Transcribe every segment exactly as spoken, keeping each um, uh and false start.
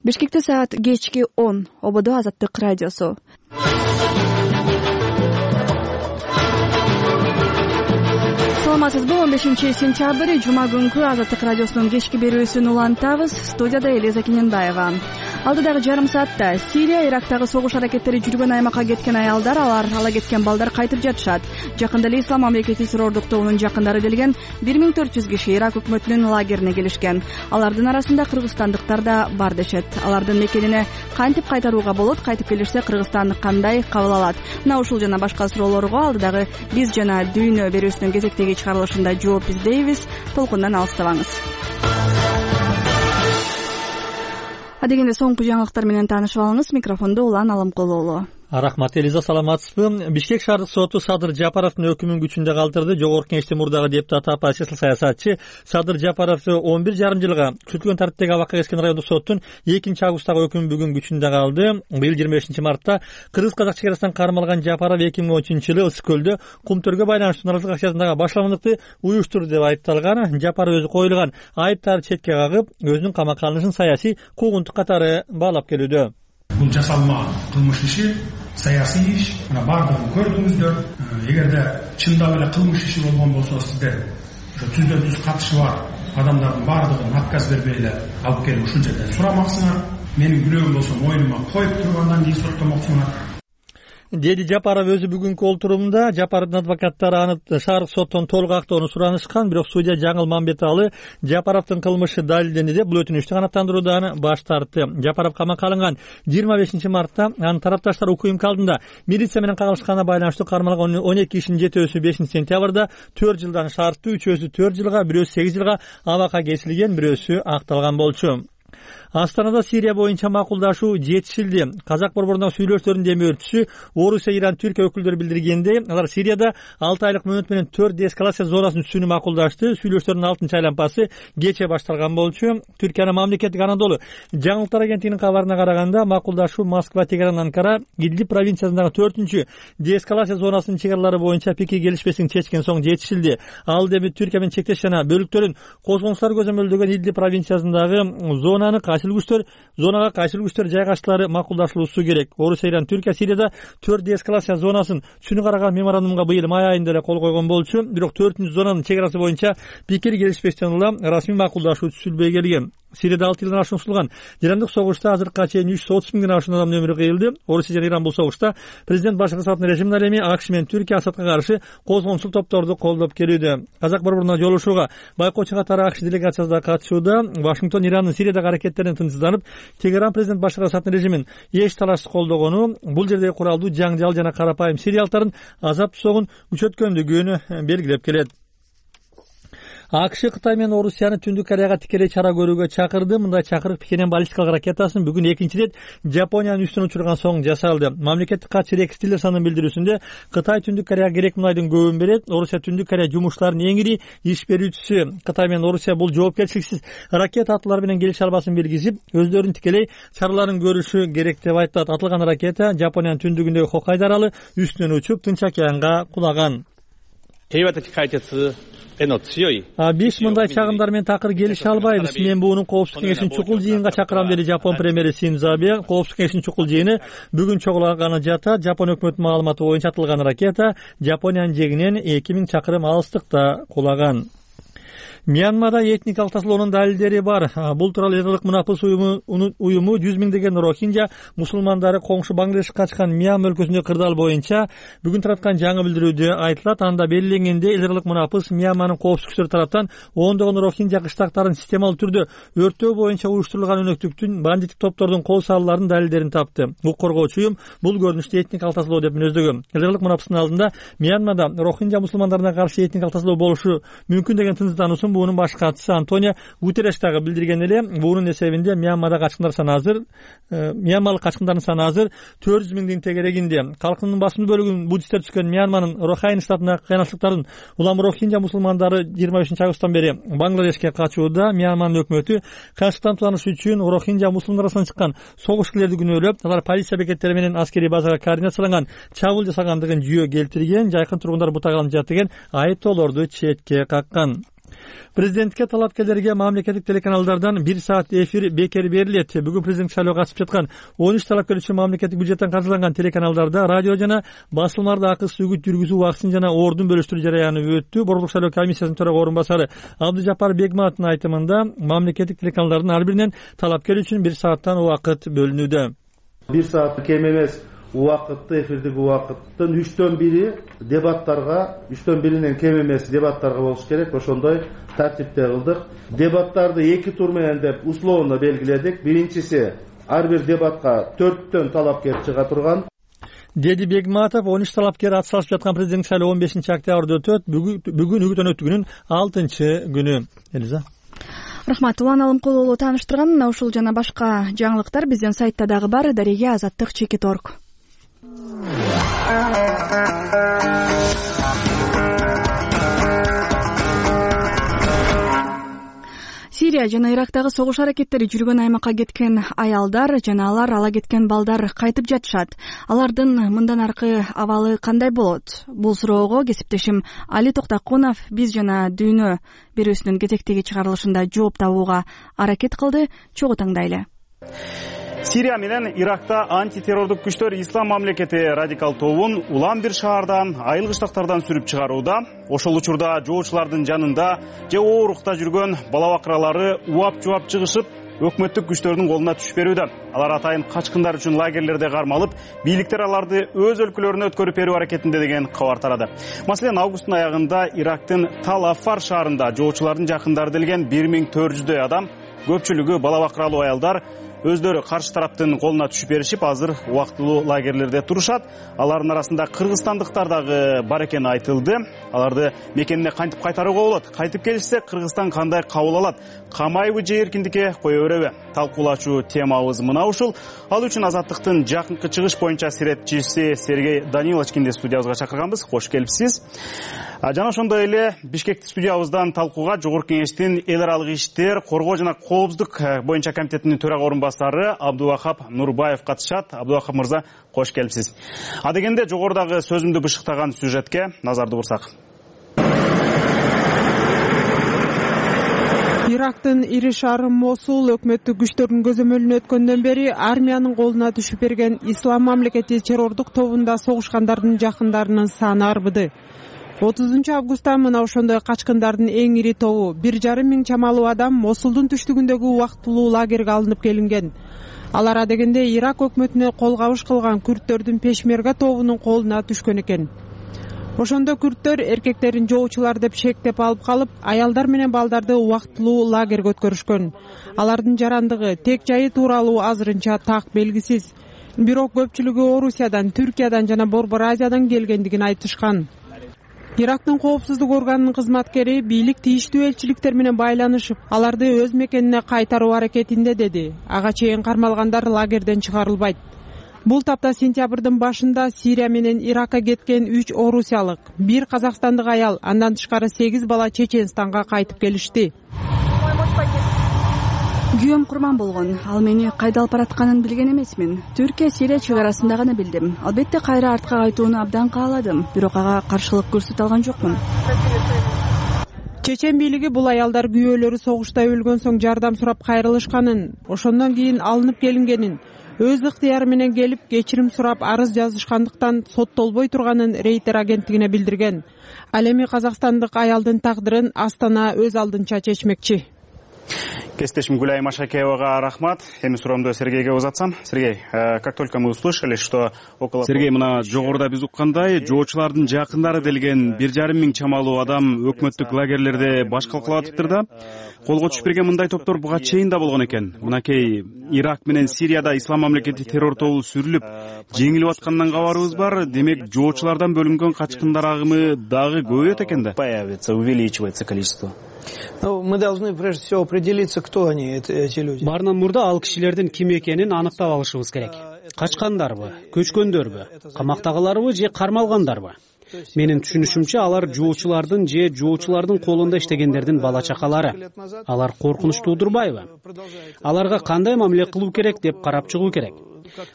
Бишкекте саат кечки он. Ободо Азаттык радиосу. Саламатсызбы? он бешинчи сентябрь жума күнкү Азаттык радиосунун кечки берүүсүн улантабыз. Студияда Элиза Кененбаева. Алдыдагы жарым саатта Сирия, Ирактагы согуш аракеттери жүргөн аймакка кеткен аялдар, алар ала кеткен балдар кайтып жатышат. Жакында эле Ислам мамлекети террордук тобунун жакындары делген бир миң төрт жүз киши Ирак өкмөтүнүн лагерине келишкен. Алардын арасында кыргызстандыктар да бар дешет. Алардын мекенине кантип кайтарууга болот, кайтып келишсе Кыргызстан кандай кабыл алат? Мына ушул жана башка суроолорго алдыдагы биз жана дүйнө берүүсүнүн кезектеги чыгарылышында жооп издейбиз. Толкундан алыстабаңыз. Адегенде соңку жаңылыктар менен таанышып алыңыз. Микрофондо Улан Аламкулуулу. Рахмат, Элиза, саламатсызбы? Бишкек шаардык соту Садыр Жапаровдун өкүмүн күчүндө калтырды. Жогорку Кеңештин мурдагы депутат апасы саясатчы Садыр Жапаровду он бир жарым жылга күтүлгөн тартиптеги абакка кескен райондук соттун экинчи августтагы өкүмү бүгүн күчүндө калды. Быйыл жыйырма бешинчи мартта кыргыз-казак чекарасынан кармалган Жапаров эки миң он үчүнчү жылы Ысык көлдө кумтөргө байланыштуу нааразычылык акциясындагы башламандыкты уюштурду деп айыпталган. Жапаров өзү коюлган айыптарды четке кагып, өзүнүн камакка алынышын саясий куугунтук катары баалап келүүдө. Бул жасалма кылмыш иши, саясий иш, мына бардыгын көрдүңүздөр. Эгерде чындап эле кылмыш иши болгон болсо, сиздер ошо түздөн түз катышы бар адамдардын бардыгын отказ бербей эле алып келип ушул жерден сурамаксыңар. Менин күнөөм болсо мойнума коюп тургандан кийин соттомоксуңар, деди Жапаров өзү бүгүнкү олтурумда. Жапаровдун адвокаттары аны шаардык соттон толук актоону суранышкан, бирок судья Жаңыл Мамбеталы Жапаровдун кылмышы далилденди деп бул өтүнүчтү канааттандыруудан баш тартты. Жапаров камакка алынган жыйырма бешинчи мартта анын тарапташтары укмк алдында милиция менен кагылышканына байланыштуу кармалган он эки кишинин жетөөсү бешинчи сентябрда төрт жылдан шарттуу, үчөөсү төрт жылга, бирөөсү сегиз жылга абакка кесилген, бирөөсү акталган болчу. Астанада Сирия боюнча макулдашуу жетишилди. Казак борборунда сүйлөштөрдүн демөөрчүсү Орусия, Иран, Түркия өкүлдөрү билдиргендей, алар Сирияда алты айлык мөөнөт менен төрт деэскалация зонасын түзүүнү макулдашты. Сүйлөштөрдүн алтынчы айлампасы кече башталган болчу. Түркиянын мамлекеттик Анадолу жаңылыктар агенттигинин кабарына караганда, макулдашуу Москва, Тегеран, Анкара, Идлиб провинциясындагы төртүнчү деэскалация зонасынын чек аралары боюнча пикир келишпестигин чечкен соң жетишилди. Ал эми Түркия менен чектеш жана бөлүктөрүн козгонуштар көзөмөлдөгөн Идлиб провинциясындагы зонаны кайсыл күчтөр зонага кайсыл күчтөр жайгаштылары макулдашылуусу керек. Орусия, Иран, Түркия Сирияда төрт деэскалация зонасын түшүнүк караган меморандумга быйыл май айында эле кол койгон болчу. Бирок төртүнчү зонанын чек арасы боюнча пикир келишпестен улам расмий макулдашуу түзүлбөй келген. Сирияда алты жылдан ашуун сулган жарандык согушта азыркыга чейин үч жүз отуз миңден ашуун адамдын өмүрү кыйылды. Орусия жана Иран бул согушта президент Башар Асаддын режимине ал эми АКШ менен Түркия Асадка каршы козгончул топторду колдоп келүүдө. Казак борборуна жолугушууга байкоочу катары АКШ делегациясы да катышууда. Вашингтон Ирандын Сириядагы аракеттеринен тынчсызданып, Тегеран президент Башар Асаддын режимин эч талашсыз колдогону, бул жердеги куралдуу жаңжал жана карапайым сириялыктардын азап согун күчөткөндүгүн белгилеп келет. АКШ Кытай менен Орусияны Түндүк Кореяга тикелей чара көрүүгө чакырды. Мындай чакырык Пхеньян баллистикалык ракетасын бүгүн экинчи ирет Жапониянын үстүнө учурган соң жасалды. Мамлекеттик катчы Рекс Тиллерсондун билдирүүсүндө Кытай Түндүк Кореяга керек мунайдын көбүн берет. Орусия Түндүк Корея жумуштарынын эң ири иш берүүчүсү. Кытай менен Орусия бул жоопкерчиликсиз ракета атуулар менен келише албасын белгизип, өздөрүнүн тикелей чараларын көрүшү керек деп айтат. Атылган ракета Жапониянын түндүгүндөгү Хоккайдо аралы үстүнөн учуп Тынч океанга кулаган. Биз мындай чагымдар менен такыр келише албайбыз. Мен буунун коопсуздук кеңешинин чукул жыйынга чакырам, деди Жапон премьери Синдзо Абе. Коопсуздук кеңешинин чукул жыйыны бүгүн чогулаганы жатат. Жапон өкмөтүнүн маалыматы боюнча атылган ракета Жапониянын жегинен эки миң чакырым алыстыкта кулаган. Мьянмада этникалык тасалоонун далилдери бар. Бул тууралуу эл элдик мунапыс уюму жүз миңдеген рохинжа мусулмандары коңшу Бангладешке качкан Мьянма өлкөсүндөгү кырдаал боюнча бүгүн тараткан жаңы билдирүүдө айтылат. Анда белгиленгендей, эл элдик мунапыс Мьянманын коопсуздук күчтөрү тараптан ондогон рохинжа кыштактарын системалуу түрдө өрттөө боюнча уюштурулган өнөктүктүн бандиттик топтордун кол салууларынын далилдерин тапты. Укук коргоочу уюм бул көрүнүштү этникалык тасалоо деп мүнөздөгөн. Эл элдик мунапыстын алдында Мьянмада рохинжа мусулмандарына каршы этникалык тасалоо болушу мүмкүн деген тынчсыздануусун буунун баш катчысы Антонио Гутерреш дагы билдирген эле. Буунун эсебинде Мьянмада качкындар саны азыр Мьянмалык качкындардын саны азыр төрт жүз миңдин тегерегинде. Калкынын басымдуу бөлүгүн буддисттер түзгөн Мьянманын Рохайн штатындагы кыйынчылыктардын улам рохинжа мусулмандары жыйырма бешинчи августтан бери Бангладешке качууда. Мьянманын өкмөтү кыйынчылыктан тутаныш үчүн рохинжа мусулмандар арасынан чыккан согушкерлерди күнөөлөп, алар полиция бекеттери менен аскерий базага координацияланган чабуул жасагандыгын жүйө келтирген. Жайкын тургундар бутак алынып жатты деген айыптоолорду четке каккан. Президентке талапкерлерге мамлекеттик телеканалдардан бир саат эфир бекер берилет. Бүгүн президент шайлоого катышып жаткан он үч талапкер үчүн мамлекеттик бюджеттен каржыланган телеканалдарда радио жана басылмаларда акысыз үгүт жүргүзүү убактысын жана ордун бөлүштүрүү жараяны өттү. Борбордук шайлоо комиссиясынын төрага орун басары Абдыжапар Бегматтын айтымында мамлекеттик телеканалдардын ар биринен талапкер үчүн бир сааттан убакыт бөлүнүүдө. бир саат кем эмес убакытты, эфирдик убакыттын үчтөн бири дебаттарга, үчтөн биринен кем эмес дебаттарга болуш керек. Ошондой тартипте кылдык. Дебаттарды эки тур менен деп условно белгиледик. Биринчиси ар бир дебатка төрттөн талапкер чыга турган. Деди Бегматов он үч талапкер ат салышып жаткан президент шайлоо он бешинчи октябрда өтөт. Бүгүн үгүт өнөтүгүнүн алтынчы күнү. Элиза. Рахмат. Улан Алымкулуулу тааныштырган мына ушул жана башка жаңылыктар биздин сайтта дагы бар. Дареге Азаттык Чекит точка орг. Сирия жана Ирактагы согуш аракеттери жүргөн аймакка кеткен аялдар жана алар ала кеткен балдар кайтып жатышат. Алардын мындан аркы абалы кандай болот? Бул суроого кесиптешим Али Токтокунов биз жана Дүйнө берүүсүнүн кезектеги чыгарылышында жооп табууга аракет кылды. Чогуу таңдайлы. Сирия менен Иракта антитеррордук күчтөр Ислам мамлекети радикал тобун улам бир шаардан, айыл кыштактардан сүрүп чыгарууда. Ошол учурда жоочулардын жанында же оорукта жүргөн бала бакыралары уап-жуап чыгышып, өкмөттүк күчтөрдүн колуна түшүп берүүдө. Алар атайын качкындар үчүн лагерлерде кармалып, бийликтер аларды өз өлкөлөрүнө өткөрүп берүү аракетинде деген кабар тарады. Маселен, августтун аягында Ирактын Тал-Аффар шаарында жоочулардын жакындары делген бир миң төрт жүздөй адам, көпчүлүгү бала бакыралуу аялдар, өздөрү каршы тараптын колуна түшүп беришип, азыр убактылуу лагерлерде турушат. Алардын арасында кыргызстандыктар дагы бар экени айтылды. Аларды мекенине кантип кайтарууга болот? Кайтып келишсе, Кыргызстан кандай кабыл алат? Камайбы же эркиндикке кое береби? Талкуулачу темабыз мына ушул. Ал үчүн Азаттыктын жакынкы чыгыш боюнча серепчиси Сергей Даниловичкинди студиябызга чакырганбыз. Кош келипсиз. Жана ошондой эле Бишкекти студиябыздан талкууга Жогорку Кеңештин эл аралык иштер, коргоо жана коопсуздук боюнча комитетинин төрага орунбасары Абдувахап Нурбаев катышат. Абдувахап мырза, кош келипсиз. А дегенде жогорудагы сөзүмдү бышыктаган сюжетке назарды бурсак. Ирактын ири шаары Мосул өкмөттүк күчтөрдүн көзөмөлүнө өткөндөн бери армиянын колуна түшүп берген Ислам мамлекети террордук тобунда согушкандардын жакындарынын саны арбыды. отузунчу августта мына ошондой качкындардын эң ири тобу бир жарым миң чамалуу адам Мосулдун түштүгүндөгү убактылуу лагерге алынып келинген. Алар адегенде Ирак өкмөтүнө кол кабыш кылган күрттөрдүн Пешмерга тобунун колуна түшкөн экен. Ошондо күрттөр эркектерин жоочулар деп шектеп алып калып, аялдар менен балдарды убактылуу лагерге өткөрүшкөн. Алардын жарандыгы, тек жайы тууралуу азырынча так белгисиз. Бирок көпчүлүгү Орусиядан, Түркиядан жана Борбор Азиядан келгендигин айтышкан. Ирактын коопсуздук органынын кызматкери бийлик тийиштүү элчиликтер менен байланышып, аларды өз мекенине кайтаруу аракетинде деди. Ага чейин кармалгандар лагерден чыгарылбайт. Бул тапта сентябрдын башында Сирия менен Иракка кеткен үч орусиялык, бир казакстандык аял, андан тышкары сегиз бала Чеченстанга кайтып келишти. Күйөөм курман болгон. Ал мени кайда алып баратканын билген эмесмин. Түркия Сирия чек арасында гана билдим. Албетте кайра артка кайтууну абдан кааладым, бирок ага каршылык көрсөтө алган жокмун. Чечен бийлиги бул аялдар күйөөлөрү согушта өлгөн соң жардам сурап кайрылышканын, ошондон кийин алынып келингенин, өз ыктыяры менен келип кечирим сурап арыз жазышкандыктан соттолбой турганын Рейтер агенттигине билдирген. Ал эми казакстандык аялдын тагдырын Астана өз алдынча чечмекчи. Кестешим Гуляй Машакеевага рахмат. Эми суроомду Сергейге узатсам. Сергей, как только мы услышали, что около... Сергей, мына жогоруда биз уккандай, жоочулардын жакындары делген бир жарым миң чамалуу адам өкмөттүк лагерлерде баш калкалап атыптыр да. Колго түшүп берген мындай топтор буга чейин да болгон экен. Мынакей Ирак менен Сирияда Ислам мамлекети террор тобу сүрүлүп, жеңилип аткандан кабарыбыз бар. Демек, жоочулардан бөлүнгөн качкындар агымы дагы көбөйөт экен да. Появится, увеличивается количество. Ну, мы должны прежде всего определиться, кто они, эти люди. Баарынан мурда ал кишилердин ким экенин аныктап алышыбыз керек. Качкандарбы, көчкөндөрбү, камактагыларбы же кармалгандарбы? Менин түшүнүшүмчө, алар жоочулардын же жоочулардын колунда иштегендердин бала чакалары. Алар коркунуч туудурбайбы? Аларга кандай мамиле кылуу керек деп карап чыгуу керек.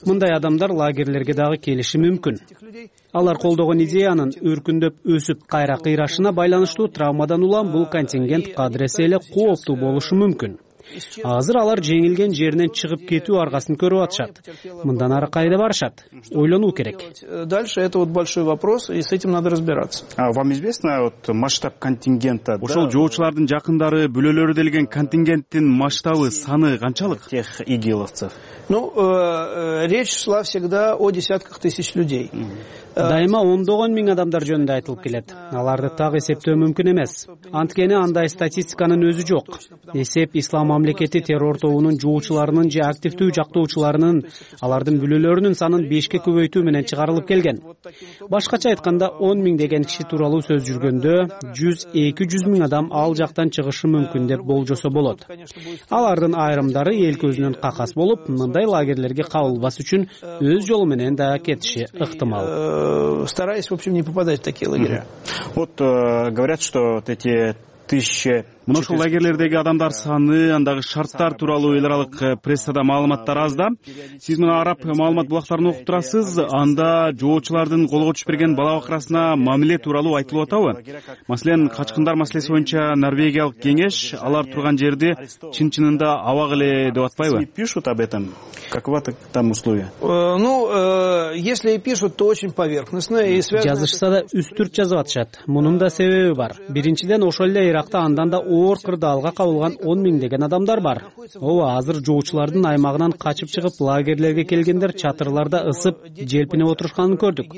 мындай адамдар лагерлерге дагы келиши мүмкүн. Алар колдогон идеянын өркүндөп өсүп кайра кыйрашына байланыштуу травмадан улам бул контингент кадыресе эле кооптуу болушу мүмкүн. Азыр алар жеңилген жеринен чыгып кетүү аргасын көрүп атышат. Мындан ары кайда барышат? Ойлонуу керек. Дальше это вот большой вопрос, и с этим надо разбираться. А вам известно вот масштаб контингента? Ошол жоочулардын жакындары, бүлөлөрү делген контингенттин масштабы, саны канчалык? Тех игиловцев. Ну, э, речь шла всегда о десятках тысяч людей. Дайыма ондогон миң адамдар жөнүндө айтылып келет. Аларды так эсептөө мүмкүн эмес. Анткени андай статистиканын өзү жок. Эсеп Ислам мамлекети террор тобунун жоочуларынын же активдүү жактоочуларынын, алардын бүлөлөрүнүн санын бешке көбөйтүү менен чыгарылып келген. Башкача айтканда, он миң деген киши тууралуу сөз жүргөндө, жүз эки жүз миң адам ал жактан чыгышы мүмкүн деп болжосо болот. Алардын айрымдары эл көзүнөн какас болуп, мындай лагерлерге кабылбас үчүн өз жолу менен да кетиши ыктымал. Стараясь, в общем, не попадать в такие лагеря. Вот э, говорят, что вот эти тысячи... Мына ушул лагерлердеги адамдар саны, андагы шарттар тууралуу эл аралык прессада маалыматтар аз да. Сиз мына араб маалымат булактарын окуп турасыз, анда жоочулардын колго түшүп берген бала бакырасына мамиле тууралуу айтылып атабы? Маселен, качкындар маселеси боюнча Норвегиялык кеңеш алар турган жерди чын-чынында абак эле деп атпайбы? Пишут об этом. Какова там условия? Ну, если и пишут, то очень поверхностно и связано. Жазышса да үстүрт жазып атышат. Мунун да себеби бар. Биринчиден, ошол эле Иракта андан да оор кырдаалга кабылган он миңдеген адамдар бар. Ооба, азыр жоочулардын аймагынан качып чыгып лагерлерге келгендер чатырларда ысып, желпинип отурушканын көрдүк.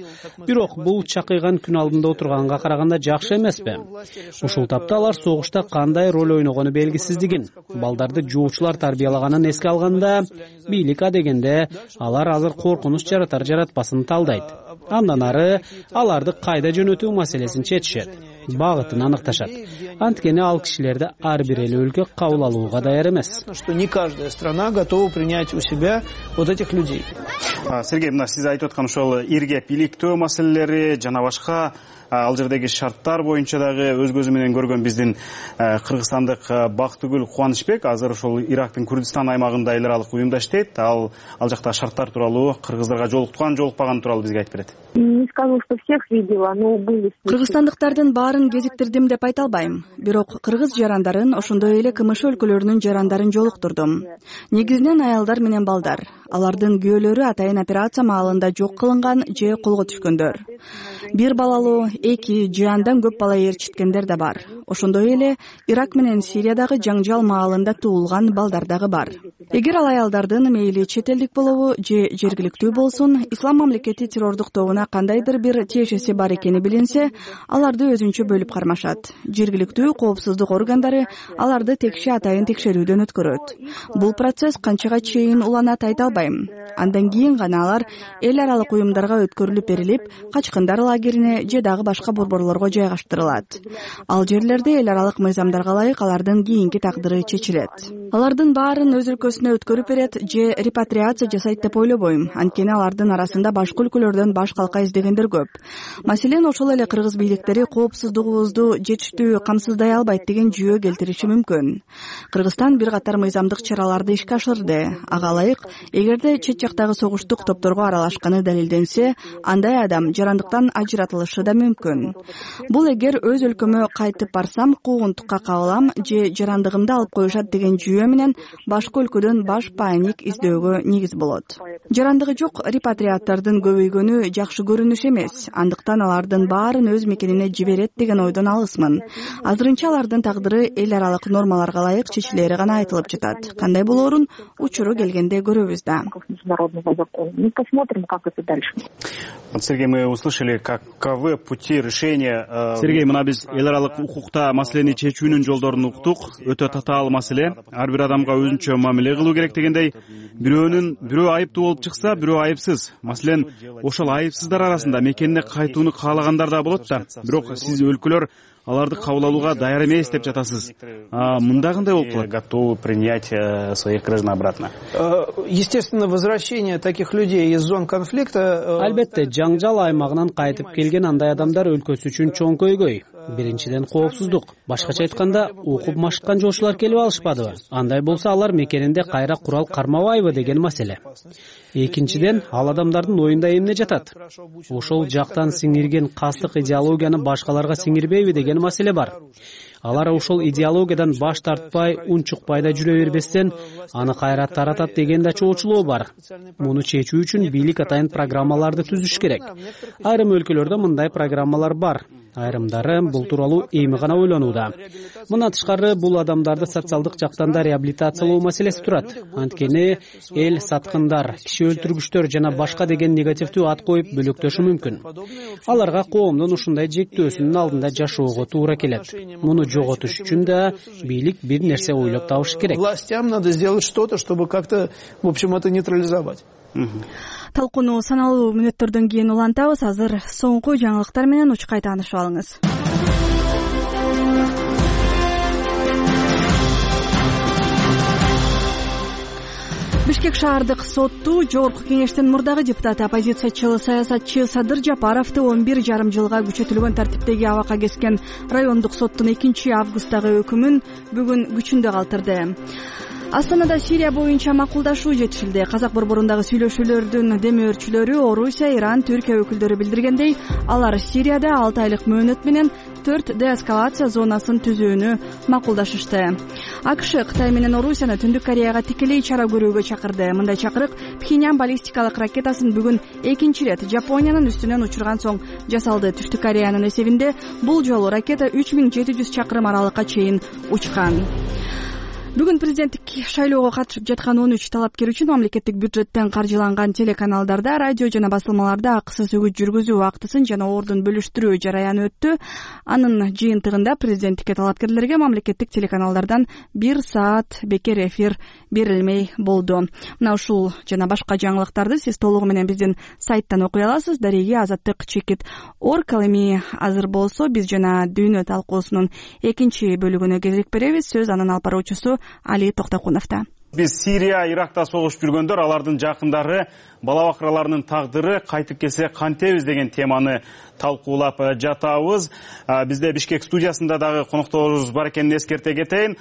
Бирок бул чакыйган күн алдында отурганга караганда жакшы эмеспи? Ушул тапта алар согушта кандай роль ойногону белгисиздигин, балдарды жоочулар тарбиялаганын эске алганда, бийлик адегенде алар азыр коркунуч жаратар жаратпасын талдайт. Андан ары аларды кайда жөнөтүү маселесин чечишет, багытын аныкташат. Анткени ал кишилерди ар бир эл өлкө кабыл алууга даяр эмес. Что не каждая страна готова принять у себя вот этих людей. Сергей, мына сиз айтып аткан ошол иргеп иликтөө маселелери жана башка ал жердеги шарттар боюнча дагы өз көзү менен көргөн биздин кыргызстандык Бактыгүл Кубанычбек азыр ошол Ирактын Курдистан аймагында эл аралык уюмда иштейт. Ал ал жакта шарттар тууралуу, кыргыздарга жолуктуган, жолукпаган тууралуу бизге айтып берет. Не скажу, что всех видела, но были. Кыргызстандыктардын баарын кезиктирдим деп айта албайм. Бирок кыргыз жарандарын, ошондой эле КМШ өлкөлөрүнүн жарандарын жолуктурдум. Негизинен аялдар менен балдар. Алардын күйөөлөрү атайын операция маалында жок кылынган же колго түшкөндөр. Бир балалуу, эки же андан көп бала ээрчиткендер да бар. Ошондой эле Ирак менен Сириядагы жаңжал маалында туулган балдар дагы бар. Эгер ал аялдардын мейли чет элдик болобу же жергиликтүү болсун, Ислам мамлекети террордук тобуна кандайдыр бир тиешеси бар экени билинсе, аларды өзүнчө бөлүп кармашат. Жергиликтүү коопсуздук органдары аларды текши атайын текшерүүдөн өткөрөт. Бул процесс канчага чейин уланат айта албайм. Андан кийин гана алар эл аралык уюмдарга өткөрүлүп берилип, качкындар лагерине же дагы башка борборлорго жайгаштырылат. Ал жерлерде эл аралык мыйзамдарга ылайык алардын кийинки тагдыры чечилет. Алардын баарын өз өлкөсүнө өткөрүп берет же репатриация жасайт деп ойлобойм. Анткени алардын арасында башка өлкөлөрдөн баш калка издегендер көп. Маселен, ошол эле кыргыз бийликтери коопсуздугубузду жетиштүү камсыздай албайт деген жүйө келтириши мүмкүн. Кыргызстан бир катар мыйзамдык чараларды ишке ашырды. Ага ылайык, эгерде чет жактагы согуштук топторго аралашканы далилденсе, андай адам жарандыктан ажыратылышы да мүмкүн. Бул эгер өз өлкөмө кайтып барсам куугунтукка кабылам же жарандыгымды алып коюшат деген жүйө менен башка өлкөдөн баш паник издөөгө негиз болот. Жарандыгы жок репатриаттардын көбөйгөнү жакшы көрүнүш эмес. Андыктан алардын баарын өз мекенине жиберет деген ойдон алысмын. Азырынча алардын тагдыры эл аралык нормаларга ылайык чечилери гана айтылып жатат. Кандай болоорун учуру келгенде көрөбүз да. Мы посмотрим, как это дальше. Вот, Сергей, мы услышали, каковы пути решения. Сергей, мына биз эл аралык укукта маселени чечүүнүн жолдорун уктук. Өтө татаал маселе. Ар бир адамга өзүнчө мамиле кылуу керек дегендей, бирөөнүн бирөө айыптуу болуп чыкса, бирөө айыпсыз. Маселен, ошол айыпсыздар арасында мекенине кайтууну каалагандар да болот да. Бирок сиз өлкөлөр аларды кабыл алууга даяр эмес деп жатасыз. А мында кандай болуп калат? Готовы принять своих граждан обратно. Естественно, возвращение таких людей из зон конфликта. Албетте, жаңжал аймагынан кайтып келген андай адамдар өлкөсү үчүн чоң көйгөй. Биринчиден коопсуздук. Башкача айтканда, окуп машыккан жоочулар келип алышпадыбы? Андай болсо алар мекенинде кайра курал кармабайбы деген маселе. Экинчиден, ал адамдардын оюнда эмне жатат? Ошол жактан сиңирген кастык идеологияны башкаларга сиңирбейби деген маселе бар. Алар ошол идеологиядан баш тартпай, унчукпай да жүрө бербестен, аны кайра таратат деген да чоочулоо бар. Муну чечүү үчүн бийлик атайын программаларды түзүш керек. Айрым өлкөлөрдө мындай программалар бар. Айрымдары бул тууралуу эми гана ойлонууда. Мындан тышкары бул адамдарды социалдык жактан да реабилитациялоо маселеси турат. Анткени эл саткындар, киши өлтүргүчтөр жана башка деген негативдүү ат коюп бөлөктөшү мүмкүн. Аларга коомдун ушундай жектөөсүнүн алдында жашоого туура келет. Муну жоготуш үчүн да бийлик бир нерсе ойлоп табышы керек. Властям надо сделать что-то, чтобы как-то, в общем, это нейтрализовать. Талкууну саналуу мүнөттөрдөн кийин улантабыз. Азыр соңку жаңылыктар менен учкай таанышып алыңыз. Бишкек шаардык сотту жогорку кеңештин мурдагы депутаты, оппозициячы саясатчы Садыр Жапаровду он бир жарым жылга күчөтүлгөн тартиптеги абакка кескен райондук соттун экинчи августтагы өкүмүн бүгүн күчүндө калтырды. Астанада Сирия боюнча макулдашуу жетишилди. Казак борборундагы сүйлөшүүлөрдүн демөөрчүлөрү Орусия, Иран, Түркия өкүлдөрү билдиргендей, алар Сирияда алты айлык мөөнөт менен төрт деэскалация зонасын түзүүнү макулдашышты. АКШ Кытай менен Орусияны Түндүк Кореяга тикелей чара көрүүгө чакырды. Мындай чакырык Пхеньян баллистикалык ракетасын бүгүн экинчи ирет Жапониянын үстүнөн учурган соң жасалды. Түштүк Кореянын эсебинде бул жолу ракета үч миң жети жүз чакырым аралыкка чейин учкан. Бүгүн президенттик шайлоого катышып жаткан он үч талапкер үчүн мамлекеттик бюджеттен каржыланган телеканалдарда, радио жана басылмаларда акысыз үгүт жүргүзүү актысын жана ордун бөлүштүрүү жараяны өттү. Анын жыйынтыгында президенттикке талапкерлерге мамлекеттик телеканалдардан бир саат бекер эфир берилмей болду. Мына ушул жана башка жаңылыктарды сиз толугу менен биздин сайттан окуй аласыз. Дареги Азаттык чекит орг. Ал эми азыр болсо биз жана дүйнө талкуусунун экинчи бөлүгүнө кезек беребиз. Сөз анын алып баруучусу Али Токтокуновдо. Биз Сирия, Иракта согушуп жүргөндөр, алардын жакындары, бала бакыраларынын тагдыры кайтып келсе кантебиз деген теманы талкуулап жатабыз. Бизде Бишкек студиясында дагы конокторубуз бар экенин эскерте кетейин.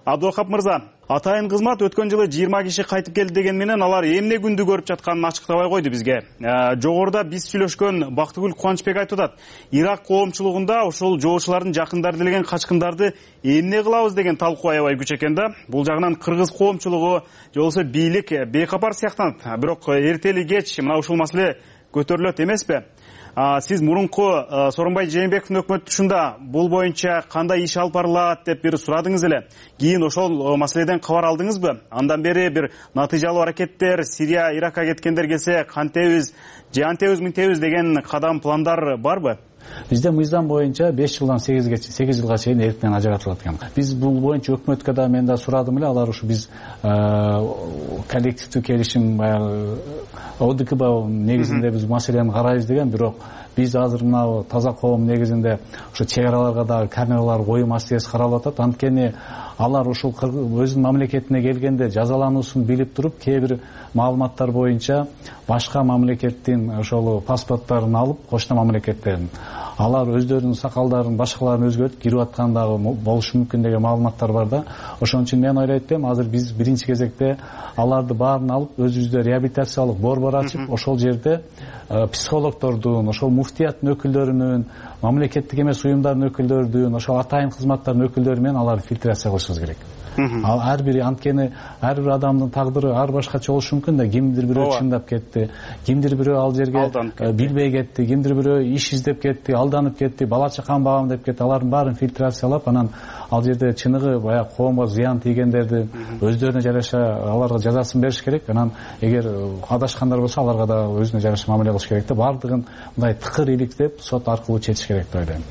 Абдулкап мырза, атайын кызмат өткөн жылы жыйырма киши кайтып келди деген менен алар эмне күндү көрүп жатканын ачыктабай койду бизге. Жогоруда биз сүйлөшкөн Бактыгүл Кубанычбек айтып атат. Ирак коомчулугунда ошол жоочулардын жакындары делеген качкындарды эмне кылабыз деген талкуу аябай күч экен да. Бул жагынан кыргыз коомчулугу же болбосо бийлик бейкапар сыяктанат. Бирок эртели кеч мына ушул маселе көтөрүлөт эмеспи? Сиз мурунку Сооронбай Жээнбековдун өкмөтүшүндө бул боюнча кандай иш алып барылат деп бир сурадыңыз эле. Кийин ошол маселеден кабар алдыңызбы? Андан бери бир натыйжалуу аракеттер, Сирия, Иракка кеткендер келсе кантебиз, же антебиз мынтебиз деген кадам, пландар барбы? Бизде мыйзам боюнча беш жылдан сегизге сегиз жылга чейин эрктен ажыратылат экен. Биз бул боюнча өкмөткө да мен да сурадым эле, алар ушу биз коллективдүү келишим О Д К Б негизинде биз маселени карайбыз деген, бирок биз азыр мына таза коом негизинде ошо чек араларга дагы камералар коюу маселеси каралып атат. Анткени алар ушул өзүнүн мамлекетине келгенде жазалануусун билип туруп, кээ бир маалыматтар боюнча башка мамлекеттин ошол паспорттарын алып, кошуна мамлекеттерин алар өздөрүнүн сакалдарын, башкаларын өзгөртүп кирип аткан дагы болушу мүмкүн деген маалыматтар бар да. Ошон үчүн мен ойлойт элем, азыр биз биринчи кезекте аларды баарын алып, өзүбүздө реабилитациялык борбор ачып, ошол жерде психологдордун, ошол муфтияттын өкүлдөрүнүн, мамлекеттик эмес уюмдардын өкүлдөрүнүн, ошол атайын кызматтардын өкүлдөрү менен аларды фильтрация кылышыбыз керек. Ал ар бири, анткени ар бир адамдын тагдыры ар башкача болушу мүмкүн да. Кимдир бирөө чындап кетти, кимдир бирөө ал жерге билбей кетти, кимдир бирөө иш издеп кетти, алданып кетти, бала чакам багам деп кетти. Алардын баарын фильтрациялап, анан ал жерде чыныгы баягы коомго зыян тийгендерди өздөрүнө жараша аларга жазасын бериш керек. Анан эгер адашкандар болсо аларга да өзүнө жараша мамиле кылыш керек да. Бардыгын мындай тыкыр иликтеп сот аркылуу чечиш керек деп ойлойм.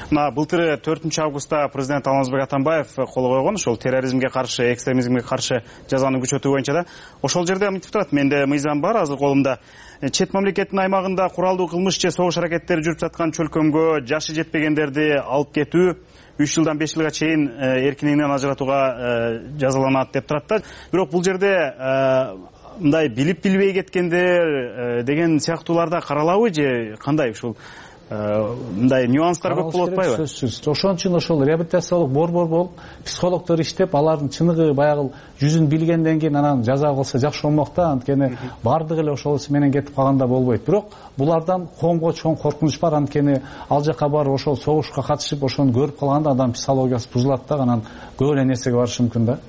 Мына былтыр төртүнчү августта президент Алмазбек Атамбаев кол койгон ошол терроризмге каршы, экстремизмге каршы жазаны күчөтүү боюнча да. Ошол жерде мынтип турат, менде мыйзам бар азыр колумда. Чет мамлекеттин аймагында куралдуу кылмыш же согуш аракеттери жүрүп жаткан чөлкөмгө жашы жетпегендерди алып кетүү үч жылдан беш жылга чейин эркиндигинен ажыратууга жазаланат деп турат да. Бирок бул жерде мындай билип билбей кеткендер деген сыяктууларда каралабы же кандай? Ушул мындай нюанстар көп болуп атпайбы? Сөзсүз. Ошон үчүн ошол реабилитациялык борбор болуп, психологдор иштеп, алардын чыныгы баягы жүзүн билгенден кийин анан жаза кылса жакшы болмок да. Анткени бардыгы эле ошол менен кетип калганда болбойт. Бирок булардан коомго чоң коркунуч бар. Анткени ал жака барып ошол согушка катышып, ошону көрүп калганда адам психологиясы бузулат да, анан көп эле нерсеге барышы мүмкүн да.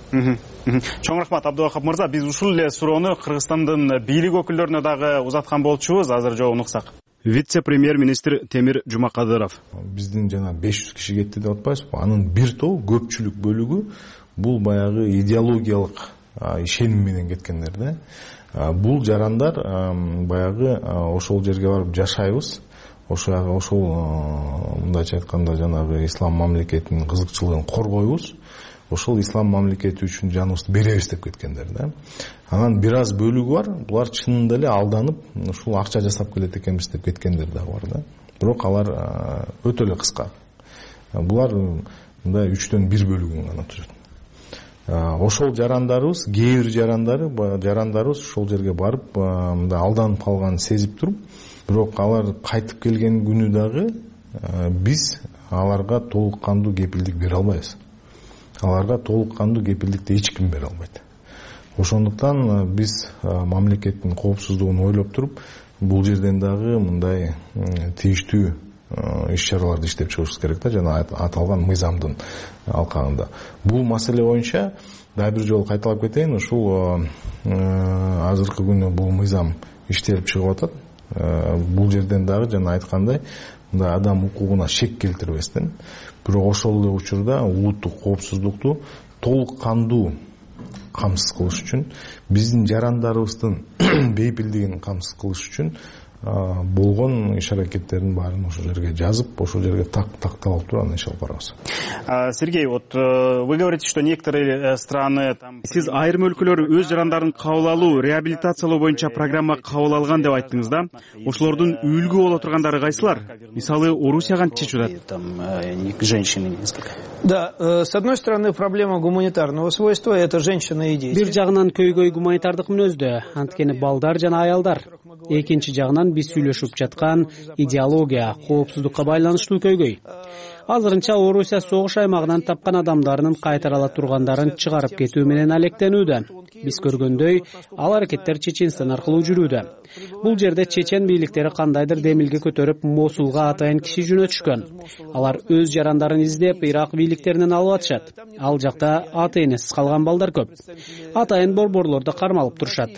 Чоң рахмат Абдывахап мырза. Биз ушул эле суроону Кыргызстандын бийлик өкүлдөрүнө дагы узаткан болчубуз. Азыр жообун уксак. Вице-премьер-министр Темир Жумакадыров. Биздин жана беш жүз киши кетти деп атпайбызбы? Анын бир тобу, көпчүлүк бөлүгү бул баягы идеологиялык ишеним менен кеткендер да. Бул жарандар баягы ошол жерге барып жашайбыз. Ошол ошол мындайча айтканда жанагы ислам мамлекетинин кызыкчылыгын коргойбуз. Ошол ислам мамлекети үчүн жаныбызды беребиз деп кеткендер да. Анан бир аз бөлүгү бар, булар чынында эле алданып, ушул акча жасап келет экенбиз деп кеткендер да бар да. Бирок алар өтө эле кыска. Булар мындай үчтөн бир бөлүгүн гана түзөт. Ошол жарандарыбыз, кээ бир жарандары, жарандарыбыз ошол жерге барып, мындай алданып калганын сезип туруп, бирок алар кайтып келген күнү дагы биз аларга толук кандуу кепилдик бере албайбыз. Аларга толук кандуу кепилдикти эч ким бере албайт. Ошондуктан биз мамлекеттин коопсуздугун ойлоп туруп, бул жерден дагы мындай тийиштүү иш-чараларды иштеп чыгышыбыз керек да, жана аталган мыйзамдын алкагында. Бул маселе боюнча дагы бир жолу кайталап кетейин, ушул азыркы күнү бул мыйзам иштелип чыгып атат. Бул жерден дагы жана айткандай, мындай адам укугуна шек келтирбестен, бирок ошол эле учурда улуттук коопсуздукту толук кандуу камсыз кылыш үчүн, биздин жарандарыбыздын бейпилдигин камсыз кылыш үчүн болгон иш-аракеттердин баарын ошол жерге жазып, ошол жерге тактап алып туруп анан иш алып барабыз. Сергей, вот вы говорите, что некоторые страны там сиз айрым өлкөлөр өз жарандарын кабыл алуу, реабилитациялоо боюнча программа кабыл алган деп айттыңыз да. Ошолордун үлгү боло тургандары кайсылар? Мисалы, Орусия кантип чечип атат? Там женщины несколько. Да, с одной стороны, проблема гуманитарного свойства это женщины и дети. Бир жагынан көйгөй гуманитардык мүнөздө, анткени балдар жана аялдар. Экинчи жагынан биз сүйлөшүп жаткан идеология, коопсуздукка байланыштуу көйгөй. Азырынча Орусия согуш аймагынан тапкан адамдарынын кайтарыла тургандарын чыгарып кетүү менен алектенүүдө. Биз көргөндөй, ал аракеттер Чеченстан аркылуу жүрүүдө. Бул жерде чечен бийликтери кандайдыр демилге көтөрүп, Мосулга атайын киши жөнөтүшкөн. Алар өз жарандарын издеп, Ирак бийликтеринен алып атышат. Ал жакта ата энесиз калган балдар көп. Атайын борборлордо кармалып турушат.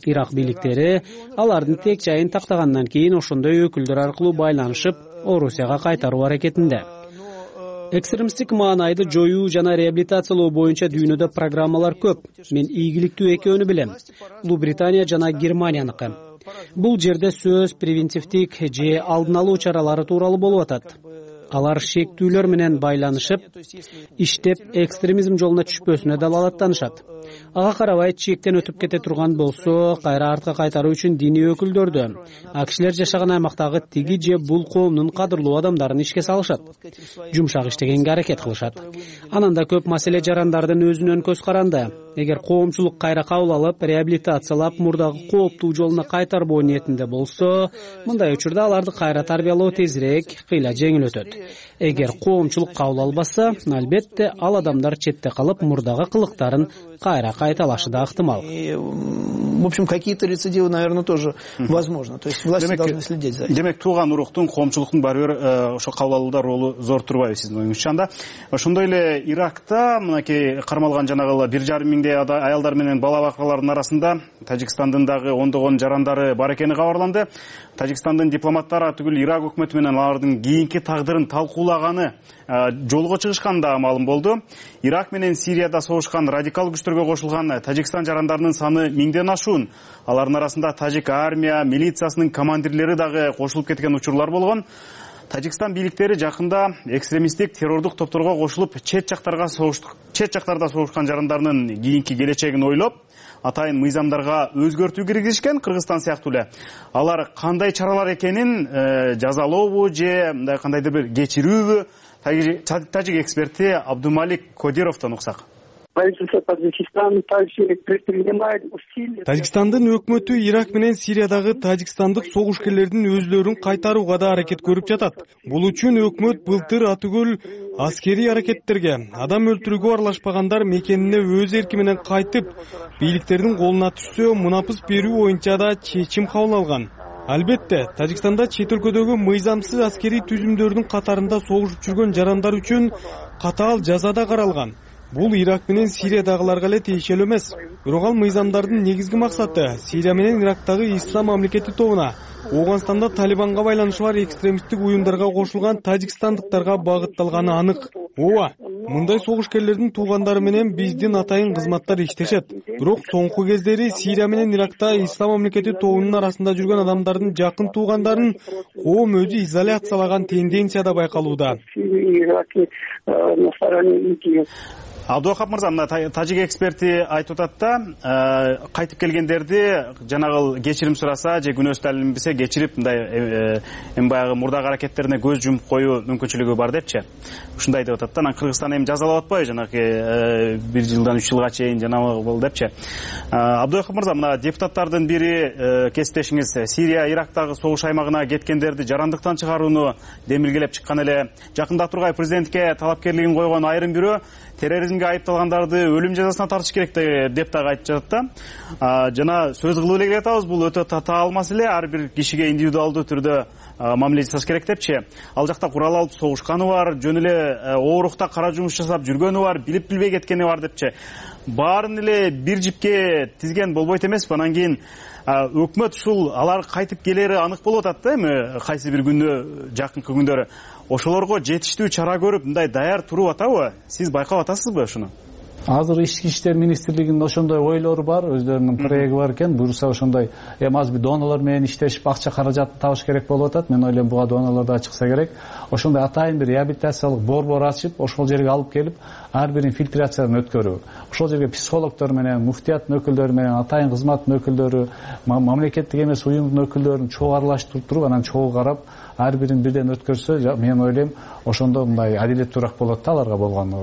Ирак бийликтери алардын тек жайын тактагандан кийин ошондой өкүлдөр аркылуу байланышып, Орусияга кайтаруу аракетинде. Экстремисттик маанайды жоюу жана реабилитациялоо боюнча дүйнөдө программалар көп. Мен ийгиликтүү экөөнү билем. Улуу Британия жана Германияныкы. Бул жерде сөз превентивдик же алдын алуу чаралары тууралуу болуп атат. Алар шектүүлөр менен байланышып, иштеп, экстремизм жолуна түшпөсүнө далалаттанышат. Ага карабай чектен өтүп кете турган болсо, кайра артка кайтаруу үчүн диний өкүлдөрдү, а кишилер жашаган аймактагы тиги же бул коомдун кадырлуу адамдарын ишке салышат. Жумшак иштегенге аракет кылышат. Анан да көп маселе жарандардын өзүнөн көз каранды. Эгер коомчулук кайра кабыл алып, реабилитациялап, мурдагы кооптуу жолуна кайтарбоо ниетинде болсо, мындай учурда аларды кайра тарбиялоо тезирээк, кыйла жеңил өтөт. Эгер коомчулук кабыл албаса, албетте ал адамдар четте калып, мурдагы кылыктарын кайра кайталашы да ыктымал. В общем, какие-то рецидивы, наверное, тоже возможно. То есть власти должны следить за этим. Демек, тууган уруктун, коомчулуктун баары бир ошо кабыл алууда ролу зор турбайбы сиздин оюңузча? Ошондой эле Иракта мынакей кармалган жанагы бир жарым миңдей аялдар менен бала бакалардын арасында Тажикстандын дагы ондогон жарандары бар экени кабарланды. Тажикстандын дипломаттары түгүл Ирак өкмөтү менен алардын кийинки тагдырын талкуулаганы жолго чыгышканы да маалым болду. Ирак менен Сирияда согушкан радикал күчтөргө кошулган Тажикстан жарандарынын саны миңден ашуун. Алардын арасында тажик армия, милициясынын командирлери дагы кошулуп кеткен учурлар болгон. Тажикстан бийликтери жакында экстремисттик террордук топторго кошулуп, чет жактарга согуштук, чет жактарда согушкан жарандардын кийинки келечегин ойлоп, атайын мыйзамдарга өзгөртүү киргизишкен, Кыргызстан сыяктуу эле. Алар кандай чаралар экенин жазалообу же кандайдыр бир кечирүүбү, тажик эксперти Абдумалик Кодировдон уксак. Правительство Таджикистана также предпринимает усилия. Тажикстандын өкмөтү Ирак менен Сириядагы тажикстандык согушкерлердин өзлөрүн кайтарууга да аракет көрүп жатат. Бул үчүн өкмөт былтыр атүгүл аскерий аракеттерге, адам өлтүрүүгө аралашпагандар мекенине өз эрки менен кайтып, бийликтердин колуна түшсө мунапыс берүү боюнча да чечим кабыл алган. Албетте, Тажикстанда чет өлкөдөгү мыйзамсыз аскерий түзүмдөрдүн катарында согушуп жүргөн жарандар үчүн катаал жаза да каралган. Бул Ирак менен Сириядагыларга эле тиешелүү эмес. Бирок ал мыйзамдардын негизги максаты Сирия менен Ирактагы ислам мамлекети тобуна, Ооганстанда Талибанга байланышы бар экстремисттик уюмдарга кошулган тажикстандыктарга багытталганы анык. Ооба, мындай согушкерлердин туугандары менен биздин атайын кызматтар иштешет. Бирок соңку кездери Сирия менен Иракта ислам мамлекети тобунун арасында жүргөн адамдардын жакын туугандарын коом өзү изоляциялаган тенденция да байкалууда. Абдуахап мырза, мына тажик эксперти айтып атат да, кайтып келгендерди жанагы кечирим сураса же күнөөсү далилинбесе кечирип мындай эми баягы мурдагы аракеттерине көз жумуп коюу мүмкүнчүлүгү бар депчи. Ушундай деп атат да. Анан Кыргызстан эми жазалап атпайбы жанагы бир жылдан үч жылга чейин жанагы болду депчи. Абдуахап мырза, мына депутаттардын бири кесиптешиңиз Сирия, Ирактагы согуш аймагына кеткендерди жарандыктан чыгарууну демилгелеп чыккан эле. Жакында Тургай президентке талапкерлигин койгон айрым бирөө терроризмге айыпталгандарды өлүм жазасына тартыш керек деп дагы айтып жатат да. Жана сөз кылып эле келатабыз, бул өтө татаал маселе, ар бир кишиге индивидуалдуу түрдө мамиле жасаш керек депчи. Ал жакта курал алып согушканы бар, жөн эле оорукта кара жумуш жасап жүргөнү бар, билип билбей кеткени бар депчи. Баарын эле бир жипке тизген болбойт эмеспи? Анан кийин өкмөт ушул алар кайтып келери анык болуп атат да, эми кайсы бир күндө, жакынкы күндөрү ошолорго жетиштүү чара көрүп мындай даяр туруп атабы? Сиз байкап атасызбы ушуну? Азыр ички иштер министрлигинин ошондой ойлору бар, өздөрүнүн проекти бар экен. Буюрса ошондой эми азыр бир донорлор менен иштешип акча каражатын табыш керек болуп атат. Мен ойлойм буга донорлор да чыкса керек. Ошондой атайын бир реабилитациялык борбор ачып, ошол жерге алып келип, ар бирин фильтрациядан өткөрүү. Ошол жерге психологдор менен, муфтияттын өкүлдөрү менен, атайын кызматтын өкүлдөрү, мамлекеттик эмес уюмдун өкүлдөрүн чогуу аралаштырып туруп, анан чогуу карап, ар бирин бирден өткөрсө, мен ойлойм ошондо мындай адилеттүүрөөк болот да аларга болгон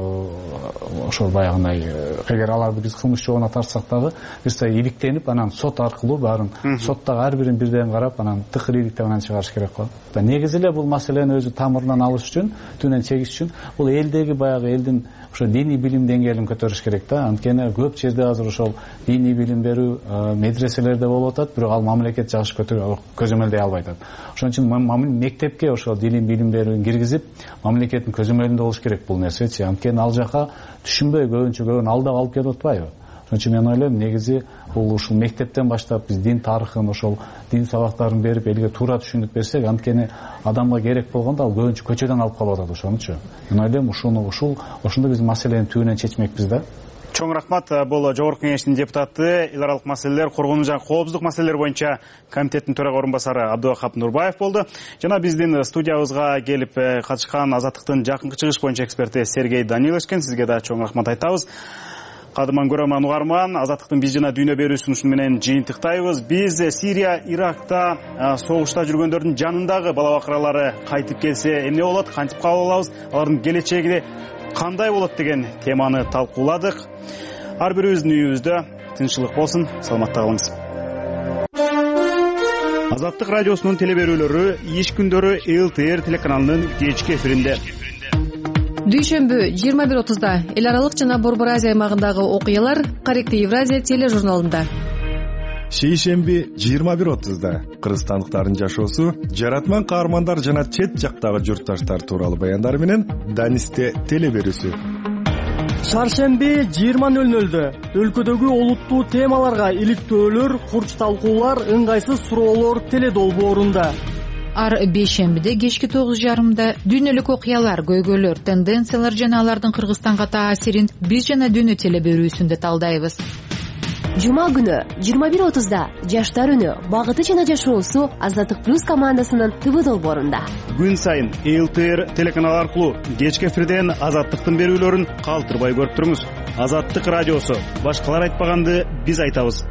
ошол баягындай, эгер аларды биз кылмыш жообуна тартсак дагы, бирсе иликтенип, анан сот аркылуу баарын соттогу ар бирин бирден карап, анан тыкыр иликтеп анан чыгарыш керек го. Негизи эле бул маселени өзү тамырынан алыш үчүн, түбүнөн чегиш үчүн бул элдеги баягы элдин ошо диний билим деңгээлин көтөрүш керек да. Анткени көп жерде азыр ошол диний билим берүү медреселерде болуп атат, бирок ал мамлекет жагыш көзөмөлдөй албай атат. Ошон үчүн мектепке ошол диний билим берүүнү киргизип, мамлекеттин көзөмөлүндө болуш керек бул нерсечи. Анткени ал жака түшүнбөй көбүнчө көбүн алдап алып келип атпайбы? Ошон үчүн мен ойлойм, негизи бул ушул мектептен баштап биз дин тарыхын, ошол дин сабактарын берип, элге туура түшүнүп берсек, анткени адамга керек болгондо ал көбүнчө көчөдөн алып калып атат ошонучу. Мен ойлойм, ушуну ушул ошондо биз маселени түбүнөн чечмекпиз да. Чоң рахмат. Бул Жогорку Кеңештин депутаты, эл аралык маселелер, коргонуу жана коопсуздук маселелери боюнча комитеттин төрага орун басары Абдуахап Нурбаев болду. Жана биздин студиябызга келип катышкан Азаттыктын жакынкы чыгыш боюнча эксперти Сергей Данилович экен. Сизге да чоң рахмат айтабыз. Кадырман көрөрман угарман, Азаттыктын биз жана дүйнө берүүсүн ушуну менен жыйынтыктайбыз. Биз Сирия, Иракта согушта жүргөндөрдүн жанындагы бала бакыралары кайтып келсе эмне болот, кантип кабыл алабыз, алардын келечеги кандай болот деген теманы талкууладык. Ар бирибиздин үйүбүздө тынччылык болсун, саламатта калыңыз. Азаттык радиосунун теле берүүлөрү иш күндөрү эл тэ эр телеканалынын кечки эфиринде. Дүйшөмбү жыйырма бир отузда эл аралык жана Борбор Азия аймагындагы окуялар Каректи Евразия тележурналында. Шейшемби жыйырма бир отузда кыргызстандыктардын жашоосу, жаратман каармандар жана чет жактагы журтташтар тууралуу баяндар менен Данисте теле берүүсү. Шаршемби жыйырма нөл нөлдө өлкөдөгү олуттуу темаларга иликтөөлөр, курч талкуулар, ыңгайсыз суроолор теле долбоорунда. Ар бейшембиде кечки тогуз жарымда дүйнөлүк окуялар, көйгөйлөр, тенденциялар жана алардын Кыргызстанга таасирин биз жана дүйнө теле берүүсүндө талдайбыз. Жума күнү жыйырма бир отузда жаштар үнү, багыты жана жашоосу Азаттык плюс командасынын ТВ долбоорунда. Күн сайын эл тэ эр телеканалы аркылуу кечки эфирден Азаттыктын берүүлөрүн калтырбай көрүп туруңуз. Азаттык радиосу, башкалар айтпаганды биз айтабыз.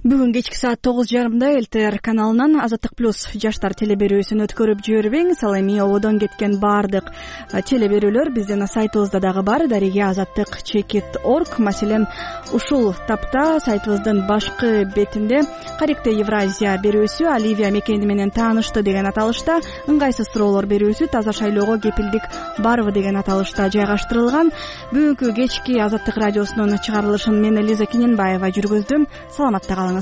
Бүгүн кечки саат тогуз жарымда эл тэ эр каналынан Азаттык плюс жаштар телеберүүсүн өткөрүп жибербең. Ал эми ободон кеткен баардык телеберүүлөр биздин сайтыбызда дагы бар. Дареге азаттык чекит точка орг. Маселен, ушул тапта сайтыбыздын башкы бетинде Каректе Евразия берүүсү, Оливия мекени менен таанышты деген аталышта, ыңгайсыз суроолор берүүсү, таза шайлоого кепилдик барбы деген аталышта жайгаштырылган. Бүгүнкү кечки Азаттык радиосунун чыгарылышын мен Элиза Киненбаева жүргүздүм. Саламатта калыңыз.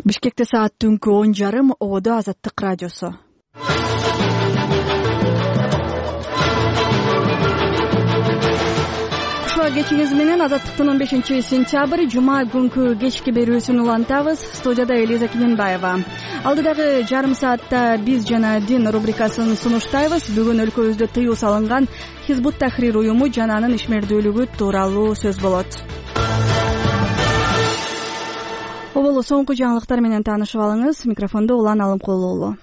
Бишкекте саат түнкү он жарым, ободо Азаттык радиосу. Кечиңиз менен Азаттыктын он бешинчи сентябрь жума күнкү кечки берүүсүн улантабыз. Студияда Элиза Киненбаева. Алдыдагы жарым саатта биз жана дин рубрикасын сунуштайбыз. Бүгүн өлкөбүздө тыюу салынган Хизбут Тахрир уюму жананын ишмердүүлүгү тууралуу сөз болот. Оболу соңку жаңылыктар менен таанышып алыңыз. Микрофондо Улан Алымкулуулу.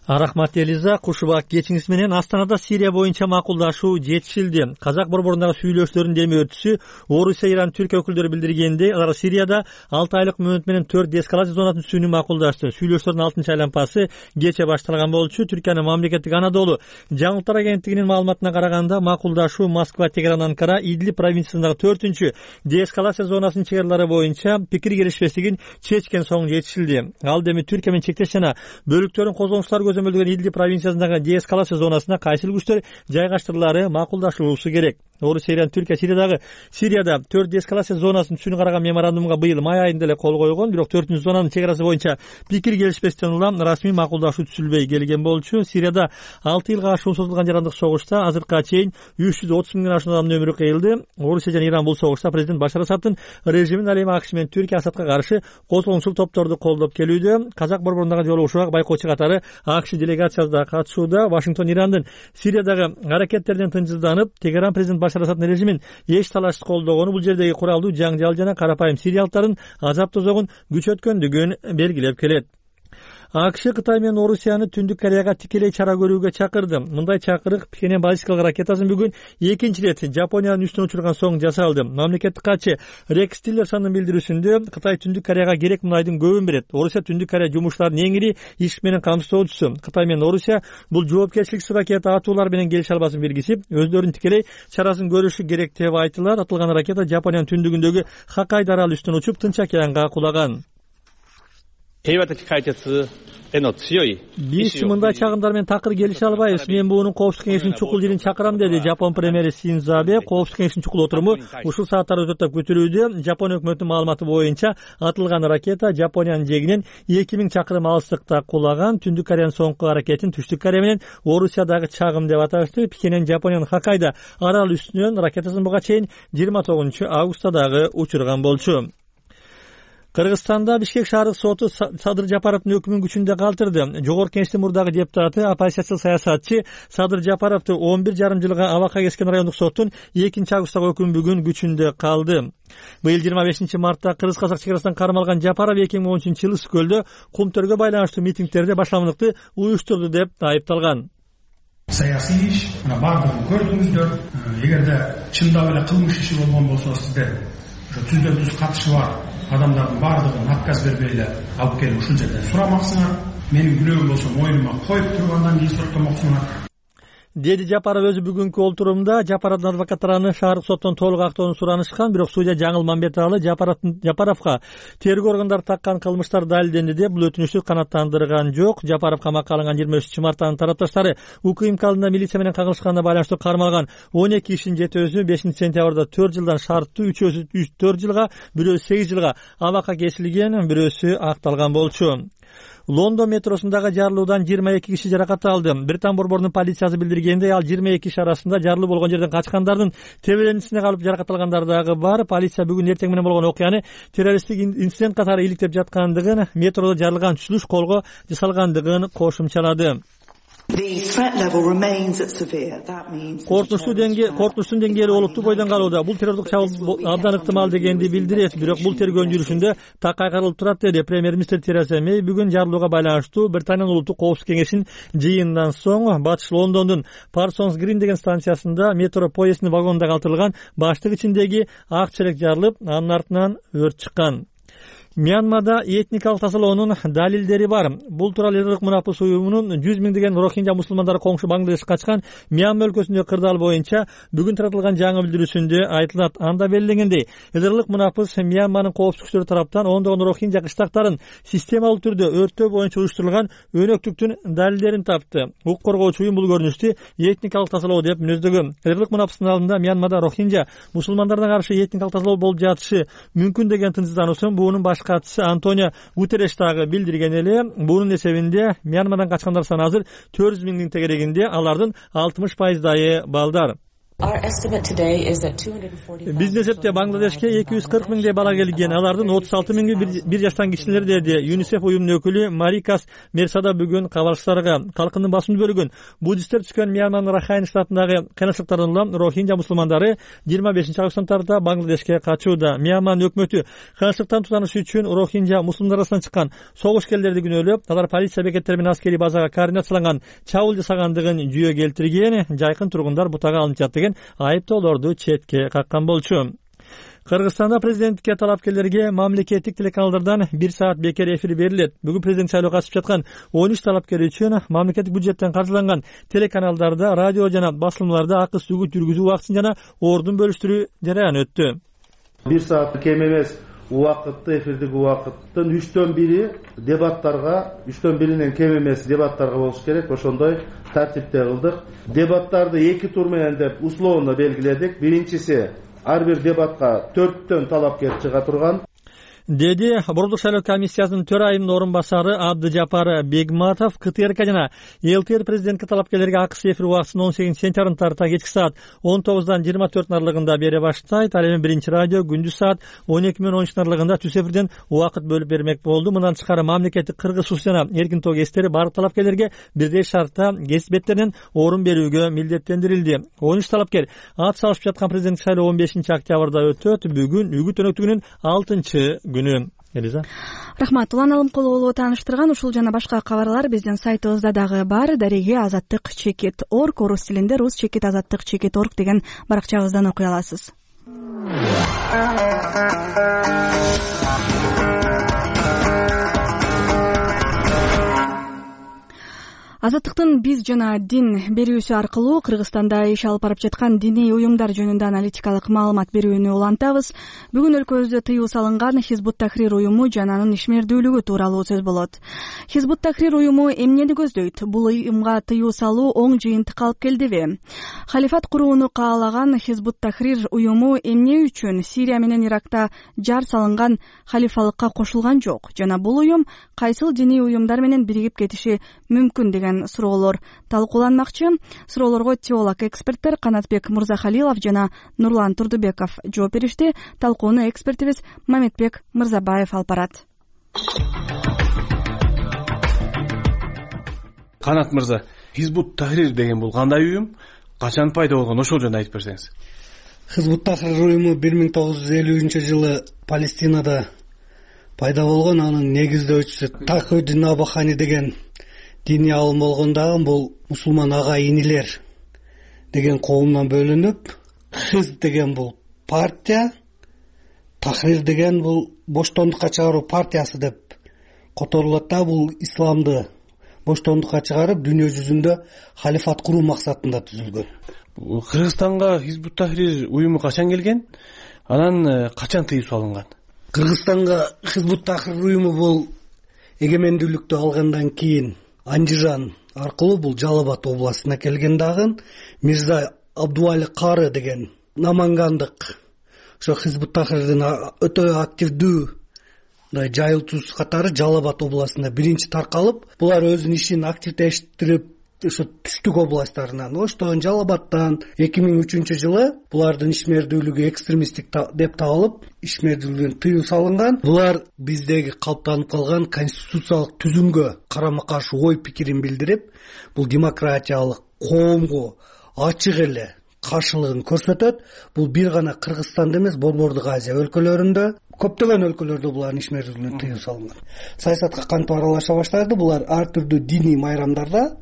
Рахмат Элиза. Кушубак кечиңиз менен Астанада Сирия боюнча макулдашуу жетишилди. Казак борборундагы сүйлөшүүлөрдүн деми өртүсү Орусия, Иран, Түркия өкүлдөрү билдиргенде, алар Сирияда алты айлык мөөнөт менен төрт деэскалация зонасын түзүүнү макулдашты. Сүйлөшүүлөрдүн алтынчы айланпасы кече башталган болчу. Түркиянын мамлекеттик Анадолу жаңылыктар агенттигинин маалыматына караганда, макулдашуу Москва, Тегеран, Анкара, Идлиб провинциясындагы төртүнчү деэскалация зонасынын чегарлары боюнча пикир келишпестигин чечкен соң жетишилди. Ал эми Түркия менен чектеш жана бөлүктөрүн козгонуштар көзөмөлдөгөн Идлиб провинциясындагы деэскалация зонасына кайсыл күчтөр жайгаштырылаары макулдашылуусу керек. Орусия, Иран, Түркия Сириядагы Сирияда төрт деэскалация зонасын түзүүнү караган меморандумга быйыл май айында эле кол койгон, бирок төртүнчү зонанын чегарасы боюнча пикир келишпестен улам расмий макулдашуу түзүлбөй келген болчу. Сирияда алты жылга ашуун созулган жарандык согушта азыркыга чейин үч жүз отуз миңден ашуун адамдын өмүрү кыйылды. Орусия жана Иран бул согушта президент Башар Асадтын режимин ал эми АКШ менен Түркия Асадка каршы козголуңчул топторду колдоп келүүдө. Казак борборундагы жолугушууга байкоочу катары АКШ делегациясы да катышууда. Вашингтон Ирандын Сириядагы аракеттеринен тынчсызданып, Тегеран президент Башар Асадтын режимин эч талашсыз колдогону бул жердеги куралдуу жаңжал жана карапайым сириялыктардын азап тозогун күчөткөндүгүн белгилеп келет. АКШ Кытай менен Орусияны Түндүк Кореяга тикелей чара көрүүгө чакырды. Мындай чакырык Пхеньян баллистикалык ракетасын бүгүн экинчи ирет Жапониянын үстүнө учурган соң жасалды. Мамлекеттик катчы Рекс Тиллерсондун билдирүүсүндө Кытай Түндүк Кореяга керек мунайдын көбүн берет. Орусия Түндүк Корея жумушчуларынын эң ири иш менен камсыздоочусу. Кытай менен Орусия бул жоопкерчиликсиз ракета атуулар менен келишип албасын белгисип, өздөрүнүн тикелей чарасын көрүшү керек деп айтылат. Атылган ракета Жапониянын түндүгүндөгү Хоккайдо аралы үстүнө учуп, Тынч океанга кулаган. Биз мындай чагымдар менен такыр келише албайбыз. Мен буунун коопсуздук кеңешинин чукул жыйынын чакырам, деди Жапон премьери Синдзо Абе. Коопсуздук кеңешинин чукул отуруму ушул сааттарда өтөт деп күтүлүүдө. Жапон өкмөтүнүн маалыматы боюнча атылган ракета Жапониянын жээгинен эки миң чакырым алыстыкта кулаган. Түндүк Кореянын соңку аракетин Түштүк Корея менен Орусиядагы чагым деп аташты. Пхеньян Жапониянын Хоккайдо арал үстүнөн ракетасын буга чейин жыйырма тогузунчу августта дагы учурган болчу. Кыргызстанда Бишкек шаардык соту Садыр Жапаровдун өкүмүн күчүндө калтырды. Жогорку Кеңештин мурдагы депутаты, оппозициялык саясатчы Садыр Жапаровду он бир жарым жылга абакка кескен райондук соттун экинчи августтагы өкүмү бүгүн күчүндө калды. Быйыл жыйырма бешинчи мартта Кыргыз-Казак чегарасынан кармалган Жапаров эки миң он үчүнчү жылы Ысык көлдө кумтөргө байланыштуу митингдерде башламдыкты уюштурду деп айыпталган. Саясий иш, мына бардыгын көрдүңүздөр. Эгерде чындап эле кылмыш иши болгон болсо, сиздер ошо түздөн түз катышы бар адамдардын бардыгын отказ бербей эле алып келип ушул жерден сурамаксыңар. Менин күнөөм болсо мойнума коюп туруп андан кийин соттомоксуңар, деди Жапаров өзү бүгүнкү олтурумда. Жапаровдун адвокаттары аны шаардык соттон толук актоону суранышкан, бирок судья Жаңыл Мамбеталы Жапаровго тергөө органдары таккан кылмыштар далилденди деп бул өтүнүштү канааттандырган жок. Жапаров камакка алынган жыйырма үчүнчү мартта тарапташтары УКМК алдында милиция менен кагылышканына байланыштуу кармалган он эки кишинин жетөөсү бешинчи сентябрда төрт жылдан шарттуу, үчөөсү төрт жылга, бирөөсү сегиз жылга абакка кесилген, бирөөсү акталган болчу. Лондон метросундагы жарылуудан жыйырма эки киши жаракат алды. Британ борборунун полициясы билдиргенде, ал жыйырма эки киши арасында жарылуу болгон жерден качкандардын тебелендисине калып жаракат алгандар дагы бар. Полиция бүгүн эртең менен болгон окуяны террористтик инцидент катары иликтеп жаткандыгын, метродо жарылган түшүнүш колго жасалгандыгын кошумчалады. коркунучтуу деңгээли коркунучтун деңгээли олуттуу бойдон калууда. Бул террордук чабуул абдан ыктымал дегенди билдирет. Бирок бул тергөөнүн жүрүшүндө так кайгарылып турат, деди премьер-министр Тереза Мэй бүгүн жарлоога байланыштуу Британиянын улуттук коопсуздук кеңешинин жыйынынан соң батыш Лондондун Parsons Green деген станциясында метро поезддин вагонунда калтырылган баштык ичиндеги ак челек жарылып, анын артынан өрт чыккан. Мьянмада этникалык тазалоонун далилдери бар. Бул тууралуу Эрдик мунапыс уюмунун жүз миңдеген рохинжа мусулмандары коңшу Бангладешке качкан Мьянма өлкөсүндөгү кырдаал боюнча бүгүн таратылган жаңы билдирүүсүндө айтылат. Анда белгиленгендей, Эрдик мунапыс Мьянманын коопсуздук күчтөрү тараптан ондогон рохинжа кыштактарын системалуу түрдө өрттөө боюнча уюштурулган өнөктүктүн далилдерин тапты. Укук коргоочу уюм бул көрүнүштү этникалык тазалоо деп мүнөздөгөн. Эрдик мунапыстын алдында Мьянмада рохинжа мусулмандарына каршы этникалык тазалоо болуп жатышы мүмкүн деген тынчсыздануусун буунун баш катчысы Антонио Гутерреш дагы билдирген эле. Бунун эсебинде Мьянмадан качкандар саны азыр төрт жүз миңдин тегерегинде, алардын алтымыш пайыздайы балдар. Биздин эсепте Бангладешке эки жүз кырк миңдей бала келген, алардын отуз алты миңи бир жаштан кичилер, деди ЮНИСЕФ уюмунун өкүлү Марикас Мерсада бүгүн кабарчыларга. Калкындын басымдуу бөлүгүн буддисттер түшкөн Мьянманын Рахайн штатындагы кыйынчылыктардан улам рохинжа мусулмандары жыйырма бешинчи августтан тарта Бангладешке качууда. Мьянманын өкмөтү кыйынчылыктан тутаныш үчүн рохинжа мусулмандар арасынан чыккан согушкерлерди күнөөлөп, алар полиция бекеттери менен аскерий базага координацияланган чабуул жасагандыгын жүйө келтирген. Жайкын тургундар бутага алынып жатты, айыптоолорду четке каккан болчу. Кыргызстанда президенттикке талапкерлерге мамлекеттик телеканалдардан бир саат бекер эфир берилет. Бүгүн президент шайлоого катышып жаткан он үч талапкер үчүн мамлекеттик бюджеттен каржыланган телеканалдарда, радио жана басылмаларда акы сүгүт жүргүзүү убактысын жана ордун бөлүштүрүү жараяны өттү. бир саат кем эмес убакытты, эфирдик убакыттын үчтөн бири дебаттарга, үчтөн биринен кем эмес дебаттарга болуш керек. Ошондой тартипте кылдык. Дебаттарды эки тур менен деп условно белгиледик. Биринчиси ар бир дебатка төрттөн талапкер чыга турган, деди Борбордук шайлоо комиссиясынын төрайымынын орун басары Абдыжапар Бегматов. КТРК жана ЛТР президентке талапкерлерге акысы эфир убактысын он сегизинчи сентябрдан тарта кечки саат он тогуздан жыйырма төрттүн аралыгында бере баштайт. Ал эми биринчи радио күндүз саат он эки менен он үчтүн аралыгында түз эфирден убакыт бөлүп бермек болду. Мындан тышкары мамлекеттик кыргыз сус жана эркин тоо кесиптери бардык талапкерлерге бирдей шартта кесип беттеринен орун берүүгө милдеттендирилди. он үч талапкер ат салышып жаткан президенттик шайлоо он бешинчи октябрда өтөт. Бүгүн үгүт өнөктүгүнүн алтынчы күнү. Элиза. Рахмат. Улан Алымкулова тааныштырган ушул жана башка кабарлар биздин сайтыбызда дагы бар. Дареги азаттык чекит орг, орус тилинде рус чекит азаттык чекит орг деген баракчабыздан окуй аласыз. Азаттыктын биз жана дин берүүсү аркылуу Кыргызстанда иш алып барып жаткан диний уюмдар жөнүндө аналитикалык маалымат берүүнү улантабыз. Бүгүн өлкөбүздө тыюу салынган Хизбут Тахрир уюму жана анын ишмердүүлүгү тууралуу сөз болот. Хизбут Тахрир уюму эмнени көздөйт? Бул уюмга тыюу салуу оң жыйынтык алып келдиби? Халифат курууну каалаган Хизбут Тахрир уюму эмне үчүн Сирия менен Иракта жар салынган халифалыкка кошулган жок? Жана бул уюм кайсыл диний уюмдар менен биригип кетиши мүмкүн деген суроолор талкууланмакчы. Суроолорго теолог эксперттер Канатбек Мырзахалилов жана Нурлан Турдубеков жооп беришти. Талкууну экспертибиз Мамедбек Мырзабаев алып барат. Канат мырза, Хизбут Тахрир деген бул кандай уюм? Качан пайда болгон? Ошол жөнүндө айтып берсеңиз. Хизбут Тахрир уюму бир миң тогуз жүз элүүнчү жылы Палестинада пайда болгон. Анын негиздөөчүсү Тахиддин Абахани деген диний алым болгон. Дагы бул мусулман ага инилер деген коомдон бөлүнүп, Хиз деген бул партия, Тахрир деген бул боштондукка чыгаруу партиясы деп которулат да. Бул исламды боштондукка чыгарып, дүйнө жүзүндө халифат куруу максатында түзүлгөн. Кыргызстанга Хизбут Тахрир уюму качан келген? Анан качан тыюу салынган? Кыргызстанга Хизбут Тахрир уюму бул эгемендүүлүктү алгандан кийин Анжижан аркылуу бул Жалал Абад областына келген. Дагы Мирза Абдуали Кары деген намангандык ошо Хизбут Тахрирдин өтө активдүү жайылтуучусу катары Жалал Абад областында биринчи таркалып, булар өзүнүн ишин активдештирип ушу түштүк областтарынан Оштон, Жалал Абадтан эки миң үчүнчү жылы булардын ишмердүүлүгү экстремисттик деп табылып ишмердүүлүгүн тыюу салынган. Булар биздеги калыптанып калган конституциялык түзүмгө карама каршы ой пикирин билдирип, бул демократиялык коомго ачык эле каршылыгын көрсөтөт. Бул бир гана Кыргызстанда эмес, Борбордук Азия өлкөлөрүндө, көптөгөн өлкөлөрдө булардын ишмердүүлүгүнө тыюу салынган. Саясатка кантип аралаша баштады? Булар ар түрдүү диний майрамдарда,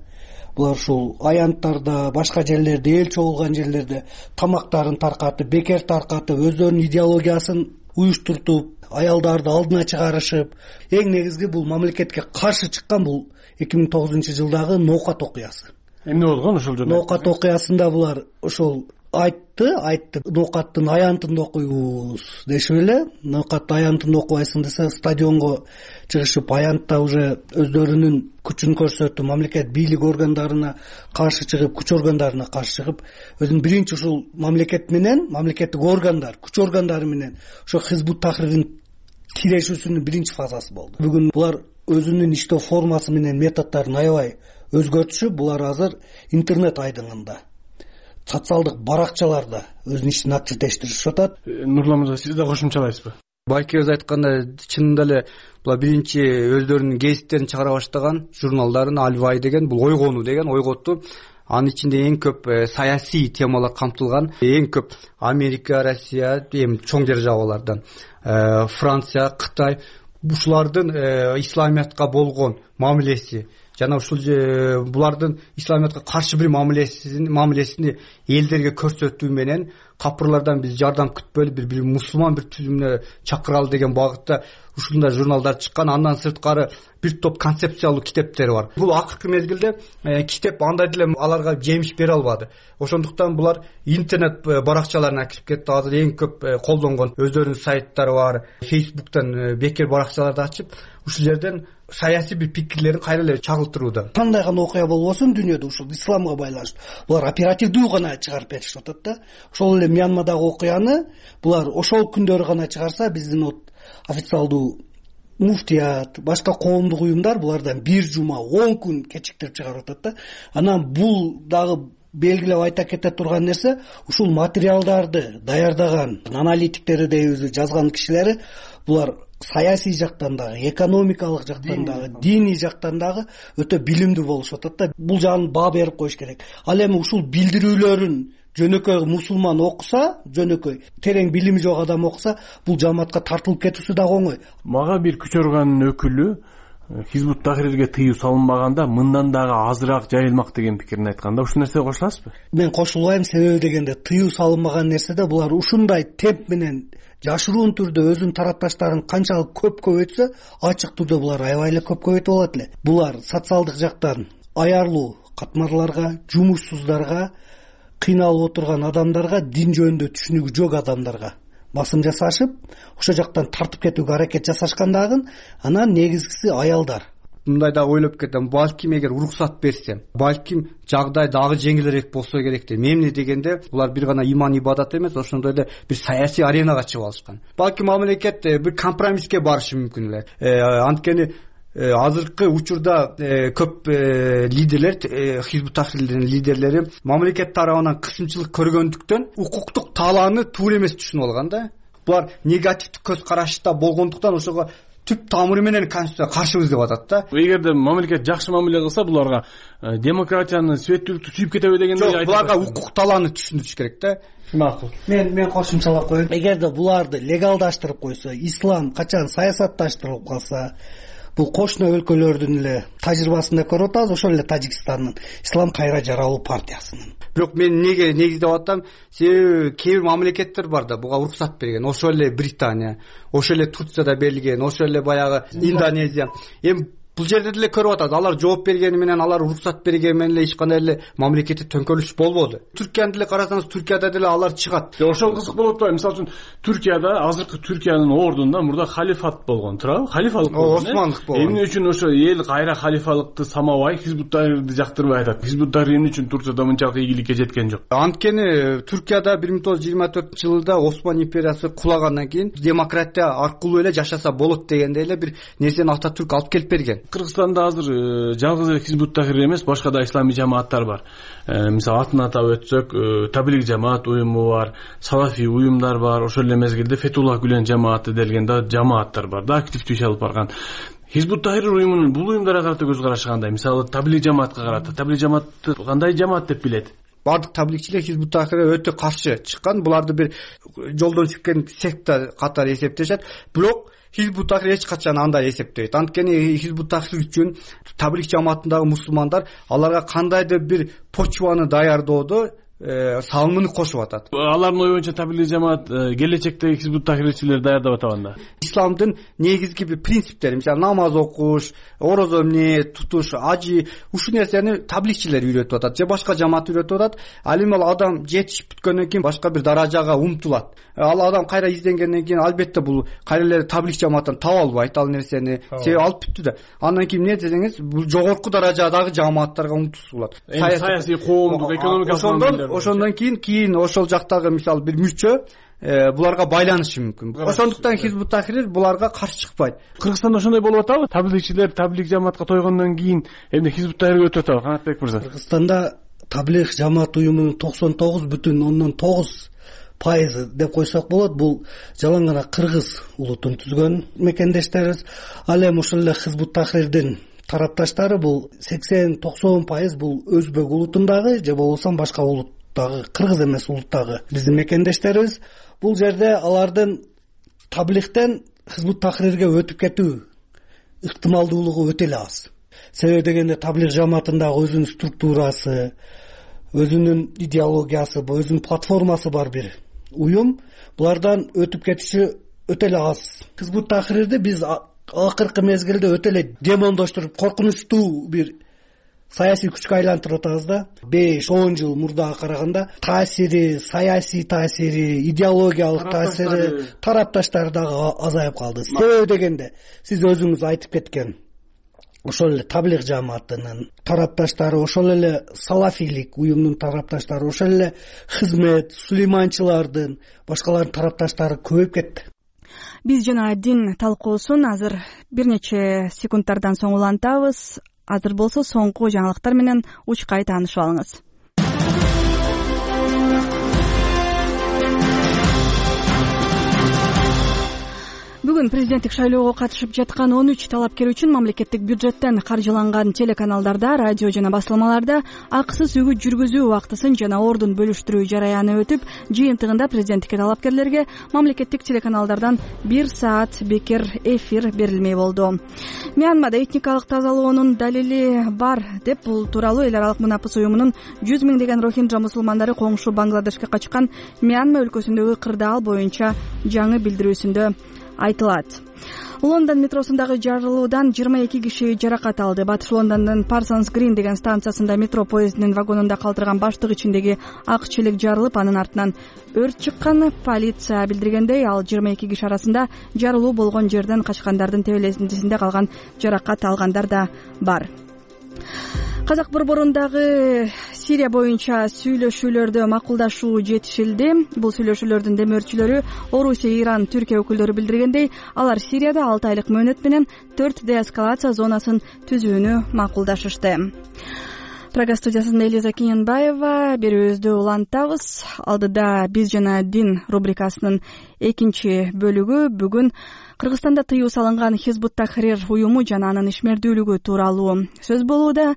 булар ушул аянттарда, башка жерлерде, эл чогулган жерлерде тамактарын таркатып, бекер тартып, өздөрүнүн идеологиясын уюштуртуп, аялдарды алдына чыгарышып, эң негизги бул мамлекетке каршы чыккан бул эки миң тогузунчу жылдагы ноокат окуясы. Эмне болгон ошол жерде? Ноокат окуясында булар ошол айтты, айтты, ноокаттын аянтын окуйбуз дешип эле. Ноокат аянтын окубайсың десе, стадионго чыгышып, аянтта уже өздөрүнүн күчүн көрсөтүп, мамлекет бийлик органдарына каршы чыгып, күч органдарына каршы чыгып, өзүнүн биринчи ушул мамлекет менен, мамлекеттик органдар, күч органдары менен ошо Хизбут Тахрирдин тирешүүсүнүн биринчи фазасы болду. Бүгүн булар өзүнүн иштөө формасы менен методдорун аябай өзгөртүшүп, булар азыр интернет айдыңында, социалдык баракчаларда өзүнүн ишин акча тештиришип атат. Нурлан мырза, сиз да кошумчалайсызбы? Байкебиз айткандай, чынында эле булар биринчи өздөрүнүн гезиттерин чыгара баштаган, журналдарын, Альвай деген, бул ойгонуу деген ойготту. Анын ичинде эң көп саясий темалар камтылган. Эң көп Америка, Россия, эми чоң державалардан, Франция, Кытай, ушулардын исламиятка болгон мамилеси жана ушул булардын исламиятка каршы бир мамилесин мамилесини элдерге көрсөтүү менен капырлардан биз жардам күтпөйлү, бир бир мусулман бир түзүмүнө чакыралы деген багытта ушундай журналдар чыккан. Андан сырткары бир топ концепциялуу китептер бар. Бул акыркы мезгилде китеп андай деле аларга жемиш бере албады. Ошондуктан булар интернет баракчаларына кирип кетти. Азыр эң көп колдонгон өздөрүнүн сайттары бар. Фейсбуктан бекер баракчаларды ачып, ушул жерден саясий бир пикирлерин кайра эле чагылтырууда. Кандай гана окуя болбосун дүйнөдө ушул исламга байланыштуу булар оперативдүү гана чыгарып беришип атат да. Ошол эле Мьянмадагы окуяны булар ошол күндөрү гана чыгарса, биздин вот официалдуу муфтият, башка коомдук уюмдар булардан бир жума, он күн кечиктирип чыгарып атат да. Анан бул дагы белгилеп айта кете турган нерсе, ушул материалдарды даярдаган аналитиктери дейбиз, жазган кишилери булар саясий жактан дагы, экономикалык жактан дагы, диний жактан дагы өтө билимдүү болушуп атат да. Бул жагын баа берип коюш керек. Ал эми ушул билдирүүлөрүн жөнөкөй мусулман окуса, жөнөкөй терең билими жок адам окуса, бул жамаатка тартылып кетүүсү дагы оңой. Мага бир күч органынын өкүлү Хизбут Тахрирге тыюу салынбаганда мындан дагы азыраак жайылмак деген пикирин айтканда, ушул нерсеге кошуласызбы? Мен кошулбайм. Себеби дегенде, тыюу салынбаган нерседе булар ушундай темп менен жашыруун түрдө өзүнүн тарапташтарын канчалык көп көбөйтсө, ачык түрдө булар аябай эле көп көбөйтүп алат эле. Булар социалдык жактан аярлуу катмарларга, жумушсуздарга, кыйналып отурган адамдарга, дин жөнүндө түшүнүгү жок адамдарга басым жасашып, ошол жактан тартып кетүүгө аракет жасашкан дагы. Анан негизгиси аялдар. Мындай да ойлоп кетем, балким эгер уруксат берсе, балким жагдай дагы жеңилирээк болсо керек деп. Эмне дегенде, булар бир гана иман ибадат эмес, ошондой эле бир саясий аренага чыгып алышкан. Балким мамлекет бир компромисске барышы мүмкүн эле. Анткени азыркы учурда көп лидерлер, Хизбут Тахрирдин лидерлери мамлекет тарабынан кысымчылык көргөндүктөн укуктук талааны туура эмес түшүнүп алган да. Булар негативдик көз карашта болгондуктан ошого түп тамыры менен конституцияга каршыбыз деп атат да. Эгерде мамлекет жакшы мамиле кылса, буларга демократияны, светтүүлүктү сүйүп кетеби дегендей айтып. Буларга укук талааны түшүндүрүш керек да. Макул. Мен мен кошумчалап коеюн. Эгерде буларды легалдаштырып койсо, ислам качан саясатташтырылып калса, бул кошуна өлкөлөрдүн эле тажрыйбасында көрүп атабыз, ошол эле Тажикстандын Ислам кайра жаралуу партиясынын. Бирок мен неге негиздеп атам, себеби кээ бир мамлекеттер бар да буга уруксат берген. Ошол эле Британия, ошол эле Турцияда берилген, ошол эле баягы Индонезия. Эми бул жерде деле көрүп атат, алар жооп бергени менен, алар уруксат бергени менен эле эч кандай эле мамлекетти төңкөрүш болбоду. Түркияны деле карасаңыз, Түркияда деле алар чыгат. Ошол кызык болуп атпайбы? Мисалы үчүн Түркияда азыркы Түркиянын ордунда мурда халифат болгон, туурабы? Халифалык болгон. Османдык болгон. Эмне үчүн ошо эл кайра халифалыкты самабай, Хизбут Тахрирди жактырбай атат? Хизбут Тахрир эмне үчүн Турцияда мынчалык ийгиликке жеткен жок? Анткени Түркияда бир миң тогуз жүз жыйырма төртүнчү жылда Осман империясы кулагандан кийин демократия аркылуу эле жашаса болот дегендей эле бир нерсени Ататүрк алып келип берген. Кыргызстанда азыр жалгыз эле Хизбут Тахрир эмес, башка да исламий жамааттар бар. Мисалы атын атап өтсөк, Таблиг жамаат уюму бар, салафий уюмдар бар, ошол эле мезгилде Фетуллах Гүлен жамааты делген да жамааттар бар да, активдүү иш алып барган. Хизбут Тахрир уюмунун бул уюмдарга карата көз карашы кандай? Мисалы Таблиг жамаатка карата, Таблиг жамаатты кандай жамаат деп билет? Бардык таблигчилер Хизбут Тахрирге өтө каршы чыккан, буларды бир жолдон чыккан секта катары эсептешет. Бирок Хизбут Тахрир эч качан андай эсептейт. Анткени Хизбут Тахрир үчүн таблиг жамаатындагы мусулмандар аларга кандайдыр бир почваны даярдоодо салымын кошуп атат. Алардын ою боюнча таблиг жамаат келечекте Хизбут Тахрирчилер даярдап атабанда. Исламдын негизги бир принциптери, мисалы намаз окуш, орозо эмне тутуш, ажы, ушул нерсени таблигчилер үйрөтүп атат же башка жамаат үйрөтүп атат. Ал эми ал адам жетишип бүткөндөн кийин башка бир даражага умтулат. Ал адам кайра изденгенден кийин албетте бул кайра эле таблиг жамааттан таба албайт ал нерсени. Себеби алып бүттү да. Андан кийин эмне десеңиз, бул жогорку даражадагы жамааттарга умтулуш болот. Саясий, коомдук, экономикалык ошондон кийин кийин ошол жактагы мисалы бир мүчө буларга байланышы мүмкүн. Ошондуктан Хизбут Тахрир буларга каршы чыкпайт. Кыргызстанда ошондой болуп атабы? Таблигчилер таблиг жамаатка тойгондон кийин эмне Хизбут Тахрирге өтүп атабы? Канатбек мырза. Кыргызстанда таблиг жамаат уюмунун токсон тогуз бүтүн ондон тогуз пайызы деп койсок болот. Бул жалаң гана кыргыз улутун түзгөн мекендештерибиз. Ал эми ошол эле Хизбут Тахрирдин тарапташтары бул сексен токсон пайыз бул өзбек улутундагы же болбосо башка улуттагы, кыргыз эмес улуттагы биздин мекендештерибиз. Бул жерде алардын таблигтен Хизбут Тахрирге өтүп кетүү ыктымалдуулугу өтө эле аз. Себеби дегенде таблиг жамаатындагы өзүнүн структурасы, өзүнүн идеологиясы, өзүнүн платформасы бар бир уюм. Булардан өтүп кетиши өтө эле аз. Хизбут Тахрирди биз акыркы мезгилде өтө эле демондоштуруп, коркунучтуу бир саясий күчкө айлантырып атабыз да. беш он жыл мурдага караганда таасири, саясий таасири, идеологиялык таасири, тарапташтары дагы азайып калды. Себеби дегенде сиз өзүңүз айтып кеткен ошол эле таблиг жамаатынын тарапташтары, ошол эле салафийлик уюмдун тарапташтары, ошол эле хизмет, сулейманчылардын, башкалардын тарапташтары көбөйүп кетти. Биз жана дин талкуусун азыр бир нече секундтардан соң улантабыз. Азыр болсо соңку жаңылыктар менен учкай таанышып алыңыз. Бүгүн президенттик шайлоого катышып жаткан он үч талапкер үчүн мамлекеттик бюджеттен каржыланган телеканалдарда, радио жана басылмаларда акысыз үгүт жүргүзүү убактысын жана ордун бөлүштүрүү жараяны өтүп, жыйынтыгында президенттикке талапкерлерге мамлекеттик телеканалдардан бир саат бекер эфир берилмей болду. Мьянмада этникалык тазалоонун далили бар деп, бул тууралуу эл аралык мунапыс уюмунун жүз миңдеген рохинджа мусулмандары коңшу Бангладешке качкан Мьянма өлкөсүндөгү кырдаал боюнча жаңы билдирүүсүндө айтылат. Лондон метросундагы жарылуудан жыйырма эки киши жаракат алды. Батыш Лондондун Parsons Green деген станциясында метро поездинин вагонунда калтырган баштык ичиндеги ак челек жарылып, анын артынан өрт чыккан. Полиция билдиргендей, ал жыйырма эки киши арасында жарылуу болгон жерден качкандардын тебелесинде калган жаракат алгандар да бар. Казак борборундагы Сирия боюнча сүйлөшүүлөрдө макулдашуу жетишилди. Бул сүйлөшүүлөрдүн демөөрчүлөрү Орусия, Иран, Түркия өкүлдөрү билдиргендей, алар Сирияда алты айлык мөөнөт менен төрт деэскалация зонасын түзүүнү макулдашышты. Прага студиясында Элиза Кененбаева, берүүбүздү улантабыз. Алдыда биз жана дин рубрикасынын экинчи бөлүгү бүгүн Кыргызстанда тыюу салынган Хизбут Тахрир уюму жана анын ишмердүүлүгү тууралуу сөз болууда.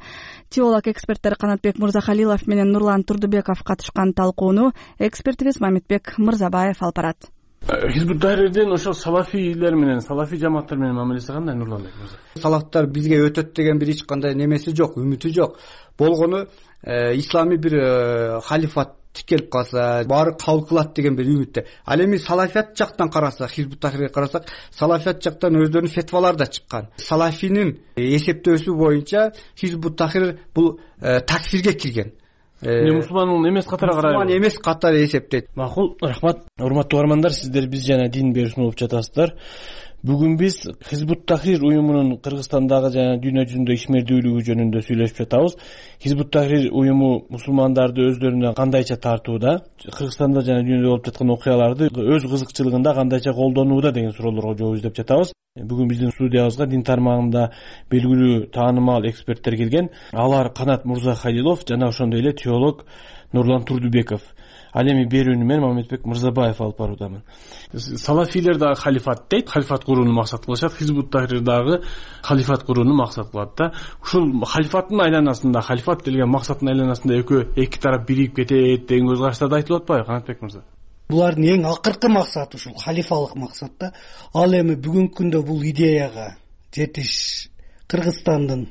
Теолог эксперттер Канатбек Мырзахалилов менен Нурлан Турдубеков катышкан талкууну экспертибиз Мамитбек Мырзабаев алып барат. Хизбут Тахрирдин ошол салафийлер менен, салафий жамааттар менен мамилеси кандай, Нурланбек мырза? Салафтар бизге өтөт деген бир эч кандай немеси жок, үмүтү жок. Болгону исламий бир халифат тикелип калса, баары кабыл кылат деген бир үмүттө. Ал эми салафият жактан карасак, Хизбут Тахрирге карасак, салафият жактан өздөрүнүн фетвалары да чыккан. Салафинин эсептөөсү боюнча Хизбут Тахрир бул такфирге кирген. Мусулман эмес катары карайбы? Мусулман эмес катары эсептейт. Макул, рахмат. Урматтуу угармандар, сиздер биз жана дин берүүсүн угуп жатасыздар. бүгүн биз Хизбут Тахрир уюмунун Кыргызстандагы жана дүйнө жүзүндө ишмердүүлүгү жөнүндө сүйлөшүп жатабыз. Хизбут Тахрир уюму мусулмандарды өздөрүнө кандайча тартууда, Кыргызстанда жана дүйнөдө болуп жаткан окуяларды өз кызыкчылыгында кандайча колдонууда деген суроолорго жооп издеп жатабыз. Бүгүн биздин студиябызга дин тармагында белгилүү таанымал эксперттер келген. Алар Канат Мурзахалилов жана ошондой эле теолог Нурлан Турдубеков. Ал эми берүүнү мен Мамедбек Мырзабаев алып баруудамын. Салафилер дагы халифат дейт, халифат курууну максат кылышат, Хизбут Тахрир дагы халифат курууну максат кылат да. Ушул халифаттын айланасында, халифат делген максаттын айланасында экөө эки тарап биригип кетет деген көз караштарды айтылып атпайбы, Канатбек мырза? Булардын эң акыркы максаты ушул халифалык максат да. Ал эми бүгүнкү күндө бул идеяга жетиш Кыргызстандын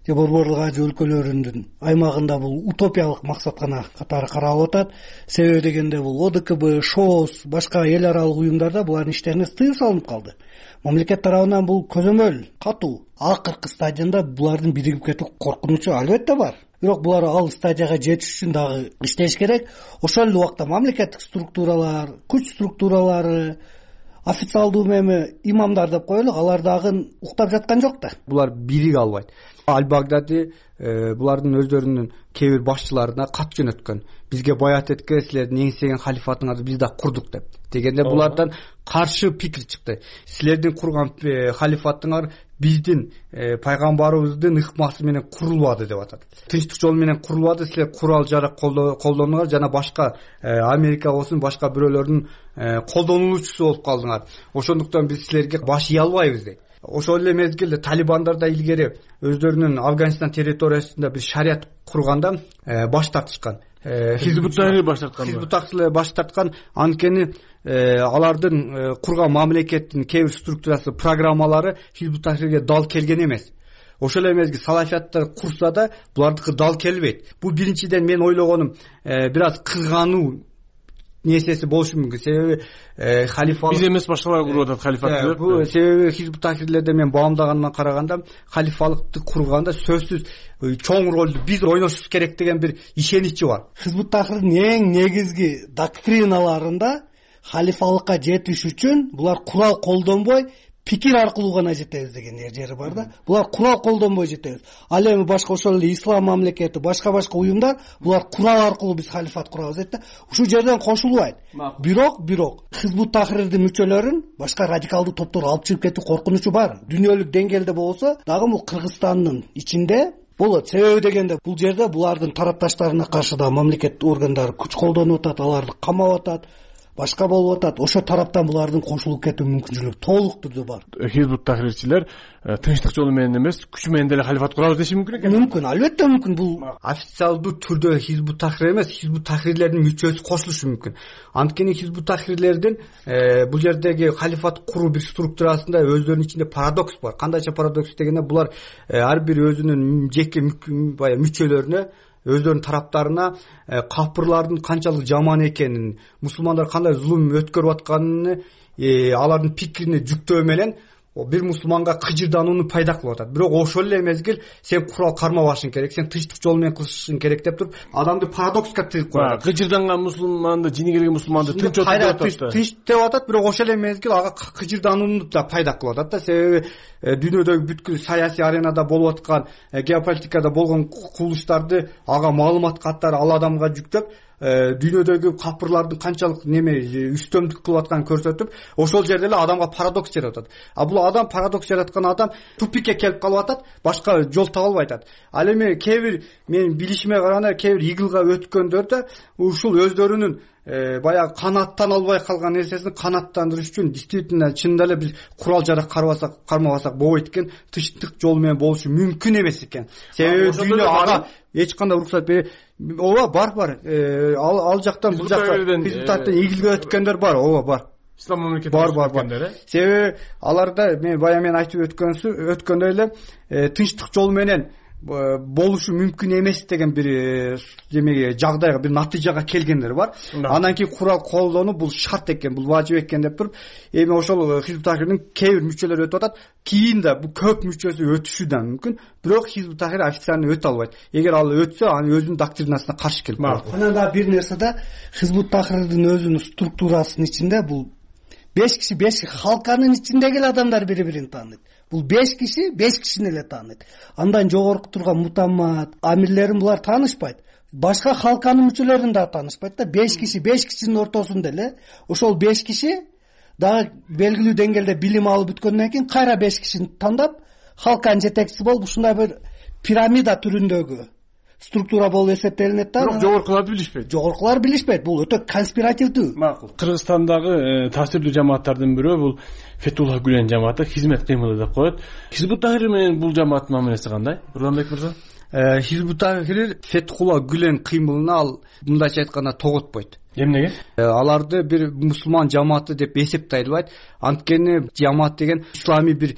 же Борборлук Азия өлкөлөрүнүн аймагында бул утопиялык максат гана катары каралып атат. Себеби дегенде бул О Д К Б, ШОС, башка эл аралык уюмдарда булардын иштерине тыюу салынып калды. Мамлекет тарабынан бул көзөмөл катуу. Акыркы стадионда булардын биригип кетүү коркунучу албетте бар. Бирок булар ал стадияга жетиш үчүн дагы иштеш керек. Ошол эле убакта мамлекеттик структуралар, күч структуралары, официалдуу эми имамдар деп коелу, алар дагы уктап жаткан жок да. Булар бириге албайт. Аль-Багдади булардын өздөрүнүн кээ бир башчыларына кат жөнөткөн. Бизге баят этке, силердин эңсеген халифатыңарды биз да курдук деп. Дегенде булардан каршы пикир чыкты. Силердин курган халифатыңар биздин пайгамбарыбыздын ыкмасы менен курулбады деп атат. Тынчтык жолу менен курулбады, силер курал жарак колдонуңар жана башка Америка болсун, башка бирөөлөрдүн колдонуучусу болуп калдыңар. Ошондуктан биз силерге баш ие албайбыз дейт. Ошол эле мезгилде талибандар да илгери өздөрүнүн Афганистан территориясында бир шарият курганда баш тартышкан. Хизбут Тахрир баш тарткан. Хизбут Тахрир баш тарткан, анткени алардын курган мамлекеттин кээ бир структурасы, программалары Хизбут Тахрирге дал келген эмес. Ошол эле мезгил салафиятты курса да булардыкы дал келбейт. Бул биринчиден мен ойлогонум бир аз кызгануу несеси болушу мүмкүн. Себеби халифа биз эмес башкалар куруп атат халифатты. Бул себеби Хизбут Тахрирлерде мен баамдаганымдан караганда халифалыкты курганда сөзсүз чоң ролду биз ойношубуз керек деген бир ишеничи бар. Хизбут Тахрирдин эң негизги доктриналарында халифалыкка жетиш үчүн булар курал колдонбой пикир аркылуу гана жетебиз деген жери бар да. Булар курал колдонбой жетебиз. Ал эми башка ошол эле ислам мамлекети, башка-башка уюмдар булар курал аркылуу биз халифат курабыз дейт да. Ушул жерден кошулбайт. Бирок, бирок Хизбут Тахрирдин мүчөлөрүн башка радикалдуу топтор алып чыгып кетүү коркунучу бар. Дүйнөлүк деңгээлде болсо дагы бул Кыргызстандын ичинде болот. Себеби дегенде бул жерде булардын тарапташтарына каршы да мамлекет органдары күч колдонуп атат, аларды камап атат, башка болуп атат. Ошо тараптан булардын кошулуп кетүү мүмкүнчүлүгү толук түрдө бар. Хизбут Тахрирчилер тынчтык жолу менен эмес, күч менен деле халифат курабыз деши мүмкүн экен. Мүмкүн, албетте мүмкүн. Бул официалдуу түрдө Хизбут Тахрир эмес, Хизбут Тахрирлердин мүчөсү кошулушу мүмкүн. Анткени Хизбут Тахрирлердин бул жердеги халифат куруу бир структурасында өздөрүнүн ичинде парадокс бар. Кандайча парадокс дегенде булар ар бир өзүнүн жеке баягы мүчөлөрүнө, өздөрүнүн тараптарына капырлардын канчалык жаман экенин, мусулмандар кандай зулум өткөрүп атканын алардын пикирине жүктөө менен бир мусулманга кыжырданууну пайда кылып атат. Бирок ошол эле мезгил сен курал кармабашың керек, сен тынчтык жол менен кылышың керек деп туруп адамды парадокска тыгып коет. Кыжырданган мусулманды, жини келген мусулманды тынч отуруп атат. Тынч деп атат, бирок ошол эле мезгил ага кыжырданууну да пайда кылып атат да. Себеби дүйнөдөгү бүткүл саясий аренада болуп аткан, геополитикада болгон кубулуштарды ага маалымат каттары ал адамга жүктөп, дүйнөдөгү капырлардын канчалык неме үстөмдүк кылып атканын көрсөтүп, ошол жерде эле адамга парадокс жаратат. А бул адам парадокс жараткан адам тупикке келип калып атат, башка жол таба албай атат. Ал эми кээ бир мен билишиме караганда кээ бир игилга өткөндөр да ушул өздөрүнүн баягы канаттан албай калган нерсесин канаттандырыш үчүн действительно чынында эле биз курал жарак карбасак кармабасак болбойт экен, тынчтык жол менен болушу мүмкүн эмес экен. Себеби дүйнө ага эч кандай уруксат бербейт. Ооба, бар бар. Ал ал жактан бул жакка Хизбут Тахрирден игилге өткөндөр бар. Ооба, бар. Ислам мамлекети бар бар бар. Себеби аларда мен бая мен айтып өткөнсү өткөндөй эле тынчтык жол менен болушу мүмкүн эмес деген бир демеге жагдайга, бир натыйжага келгендер бар. Андан кийин курал колдонуу бул шарт экен, бул важип экен деп туруп, эми ошол Хизбут Тахрирдин кээ бир мүчөлөрү өтүп атат. Кийин да бул көп мүчөсү өтүшү да мүмкүн, бирок Хизбут Тахрир официально өтө албайт. Эгер ал өтсө, анын өзүнүн доктринасына каршы келип калат. Анан да бир нерсе да Хизбут Тахрирдин өзүнүн структурасынын ичинде бул беш киши беш халканын ичиндеги эле адамдар бири бирин тааныйт. Бул беш киши беш кишини эле тааныйт. Андан жогорку турган мутаммат амирлерин булар таанышпайт. Башка халканын мүчөлөрүн да таанышпайт да. беш киши беш кишинин ортосунда эле ошол беш киши дагы белгилүү деңгээлде билим алып бүткөндөн кийин кайра беш кишини тандап халканын жетекчиси болуп ушундай бир пирамида түрүндөгү структура болуп эсептелинет да. Бирок жогоркуларды билишпейт. Жогоркулар билишпейт. Бул өтө конспиративдүү. Макул. Кыргызстандагы таасирдүү жамааттардын бирөө бул Фетулла Гүлен жамааты, хизмет кыймылы деп коет. Хизбут Тахрир менен бул жамааттын мамилеси кандай? Нурланбек мырза? Хизбут Тахрир Фетулла Гүлен кыймылына ал мындайча айтканда тоготпойт. Эмнеге? Аларды бир мусулман жамааты деп эсептелбейт. Анткени жамаат деген исламий бир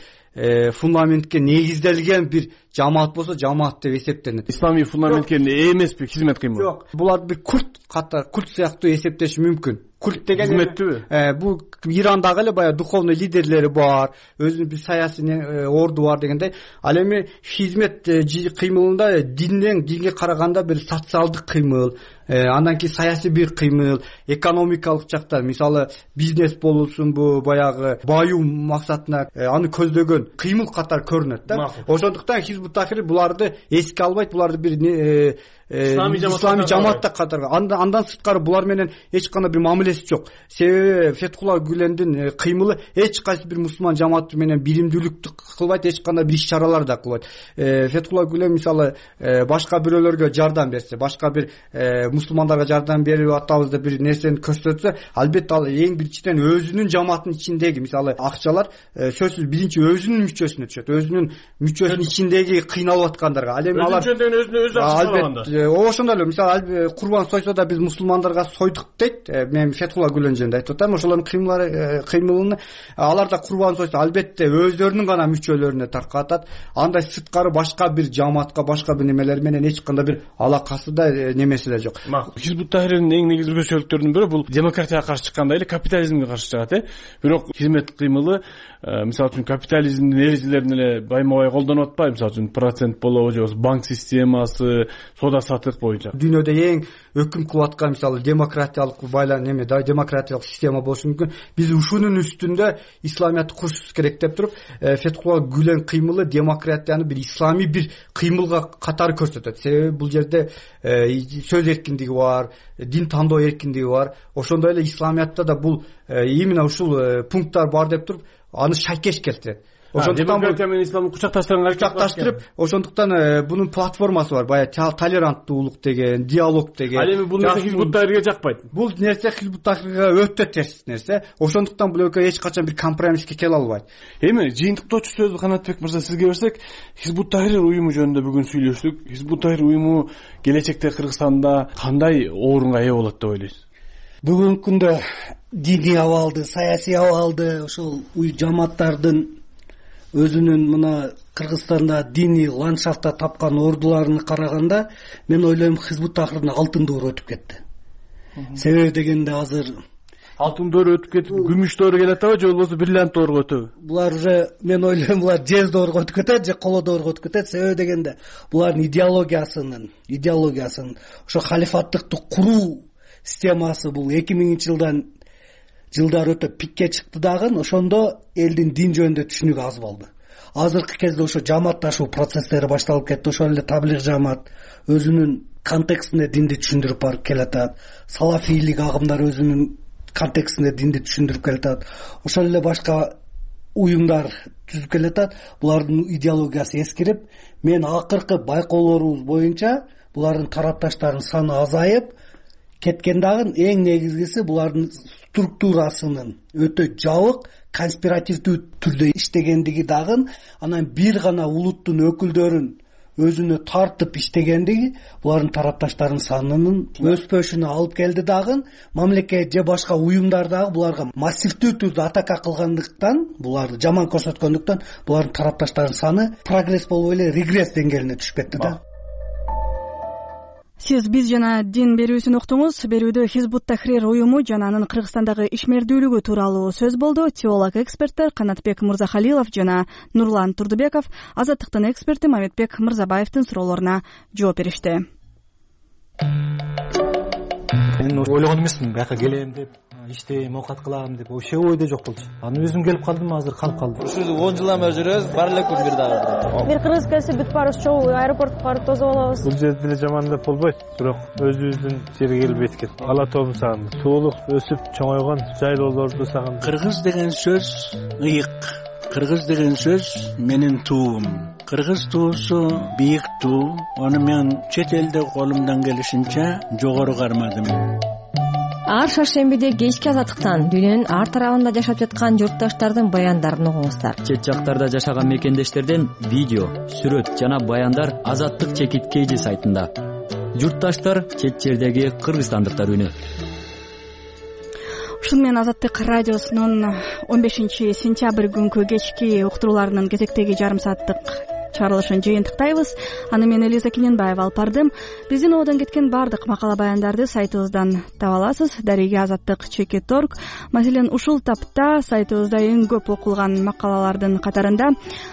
фундаментке негизделген бир жамаат болсо жамаат деп эсептелет. Исламий фундаментке эмеспи хизмет кыймыл? Жок, буларды бир культ катар, культ сыяктуу эсептеш мүмкүн. Культ деген хизметтүүбү? Бул Ирандагы эле баягы духовный лидерлери бар, өзүнүн бир саясий орду бар дегендей. Ал эми хизмет кыймылында динден динге караганда бир социалдык кыймыл, андан кийин саясий бир кыймыл, экономикалык жактан, мисалы бизнес болушунбу, баягы баюу максатына аны көздөгөн кыймыл катар көрүнөт да. Ошондуктан Хизбут Тахрир буларды эске албайт, буларды бир исламий жамаатта катары. Андан сырткары булар менен эч кандай бир мамилеси жок. Себеби Фетулла Гүлендин кыймылы эч кайсы бир мусулман жамааты менен биримдүүлүктү кылбайт, эч кандай бир иш-чаралар да кылбайт. Фетулла Гүлен мисалы башка бирөөлөргө жардам берсе, башка бир мусулмандарга жардам берип атабыз деп бир нерсени көрсөтсө, албетте ал эң биринчиден өзүнүн жамаатынын ичиндеги мисалы акчалар сөзсүз биринчи өзүнүн мүчөсүнө түшөт. Өзүнүн мүчөсүнүн ичиндеги кыйналып аткандарга. Ал эми алар өзүнө өзү акча ошондой эле мисалы курбан сойсо да биз мусулмандарга сойдук дейт. Мен Фетулла Гүлен жөнүндө айтып атам. Ошолордун кыймылары кыймылын алар да курбан сойсо албетте өздөрүнүн гана мүчөлөрүнө таркатат. Андай сырткары башка бир жамаатка, башка бир немелер менен эч кандай бир алакасы да немеси да жок. Хизбут Тахриrdин эң негизги өзгөчөлүктөрүнүн бири бул демократияга каршы чыкканда эле капитализмге каршы чыгат, э. Бирок хизмет кыймылы мисалы үчүн капитализмдин эрежелерин эле байма-бай колдонуп атпайбы? Мисалы үчүн процент болобу же банк системасы, соода сатык боюнча. Дүйнөдө эң өкүм кылып аткан мисалы демократиялык байлан неме да демократиялык система болушу мүмкүн. Биз ушунун үстүндө исламиятты курушубуз керек деп туруп, Фетулла Гүлен кыймылы демократияны бир исламий бир кыймылга катары көрсөтөт. Себеби бул жерде сөз эркиндиги бар, дин тандоо эркиндиги бар. Ошондой эле исламиятта да бул именно ушул пункттар бар деп туруп, аны шайкеш келтирет. Ошондуктан демократия менен исламды кучакташтырганга кучакташтырып, ошондуктан бунун платформасы бар. Баягы толеранттуулук деген, диалог деген. Ал эми бул нерсе Хизбут Тахрирге жакпайт. Бул нерсе Хизбут Тахрирге өтө терс нерсе. Ошондуктан бул экөө эч качан бир компромисске келе албайт. Эми жыйынтыктоочу сөздү Канатбек мырза сизге берсек, Хизбут Тахрир уюму жөнүндө бүгүн сүйлөштүк. Хизбут Тахрир уюму келечекте Кыргызстанда кандай орунга ээ болот деп ойлойсуз? Бүгүнкү күндө диний абалды, саясий абалды, ошол жамааттардын өзүнүн мына Кыргызстанда диний ландшафтта тапкан ордуларына караганда, мен ойлойм Хизбут Тахрирдин алтын доору өтүп кетти. Себеби дегенде азыр алтын доору өтүп кетип, күмүш доору келет атабы же болбосо бриллиант доорго өтөбү? Булар уже мен ойлойм булар жез доорго өтүп кетет же коло доорго өтүп кетет. Себеби дегенде булардын идеологиясынын, идеологиясын, ошо халифаттыкты куруу системасы бул эки миңинчи жылдан жылдар өтө пикке чыкты дагы, ошондо элдин дин жөнүндө түшүнүгү аз болду. Азыркы кезде ошо жамаатташуу процесстери башталып кетти. Ошол эле таблиг жамаат өзүнүн контекстинде динди түшүндүрүп барып келатат. Салафийлик агымдар өзүнүн контекстинде динди түшүндүрүп келатат. Ошол эле башка уюмдар түзүп келатат. Булардын идеологиясы эскирип, мен акыркы байкоолорубуз боюнча булардын тарапташтарынын саны азайып кеткен дагы, эң негизгиси булардын структурасынын өтө жабык, конспиративдүү түрдө иштегендиги дагы, анан бир гана улуттун өкүлдөрүн өзүнө тартып иштегендиги булардын тарапташтарынын санынын өспөшүнө алып келди дагы. Мамлекет же башка уюмдар дагы буларга массивдүү түрдө атака кылгандыктан, буларды жаман көрсөткөндүктөн булардын тарапташтарынын саны прогресс болбой эле регресс деңгээлине түшүп кетти да. Сиз биз жана дин берүүсүн уктуңуз. Берүүдө Хизбут Тахрир уюму жана анын Кыргызстандагы ишмердүүлүгү тууралуу сөз болду. Теолог эксперттер Канатбек Мырзахалилов жана Нурлан Турдубеков Азаттыктын эксперти Маметбек Мырзабаевдин суроолоруна жооп беришти. Мен ойлогон эмесмин бияка келем деп, иштейм, оокат кылам деп вообще ойдо жок болчу. Анан өзүм келип калдым, азыр калып калдым. Ушул он жылдан бери жүрөбүз, бар элекпи бир дагы. Бир кыргыз келсе бүт баарыбыз чогуу аэропортко барып тосуп алабыз. Бул жерде деле жамандап болбойт, бирок өзүбүздүн жерге келип эткен. Ала тоом сагындым. Суулук өсүп чоңойгон жайлоолорду сагындым. Кыргыз деген сөз ыйык. Кыргыз деген сөз менин туум. Кыргыз туусу бийик туу. Аны мен чет элде колумдан келишинче жогору кармадым. Ар шаршембиде кечки азаттыктан дүйнөнүн ар тарабында жашап жаткан журтташтардын баяндарын угуңуздар. Чет жактарда жашаган мекендештерден видео, сүрөт жана баяндар Азаттык чекит кейжи сайтында. Журтташтар чет жердеги кыргызстандыктар үнү. Ушун менен Азаттык радиосунун он бешинчи сентябрь күнкү кечки уктурууларынын кезектеги жарым сааттык чыгарылышын жыйынтыктайбыз. Аны мен Элиза Кененбаева алып бардым. Биздин одон кеткен бардык макала баяндарды сайтыбыздан таба аласыз. Дареге азаттык чекит точка орг. Маселен, ушул тапта сайтыбызда эң көп окулган макалалардын катарында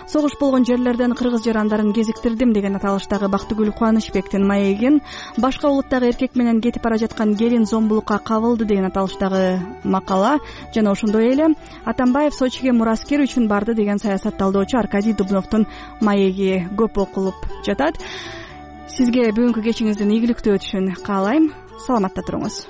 согуш болгон жерлерден кыргыз жарандарын кезиктирдим деген аталыштагы Бактыгүл Кубанычбектин маегин, башка улуттагы эркек менен кетип бара жаткан келин зомбулукка кабылды деген аталыштагы макала жана ошондой эле Атамбаев Сочиге мураскер үчүн барды деген саясатталдоочу Аркадий Дубновдун маеги көп окулуп жатат. Сизге бүгүнкү кечиңиздин ийгиликтүү өтүшүн каалайм. Саламатта туруңуз.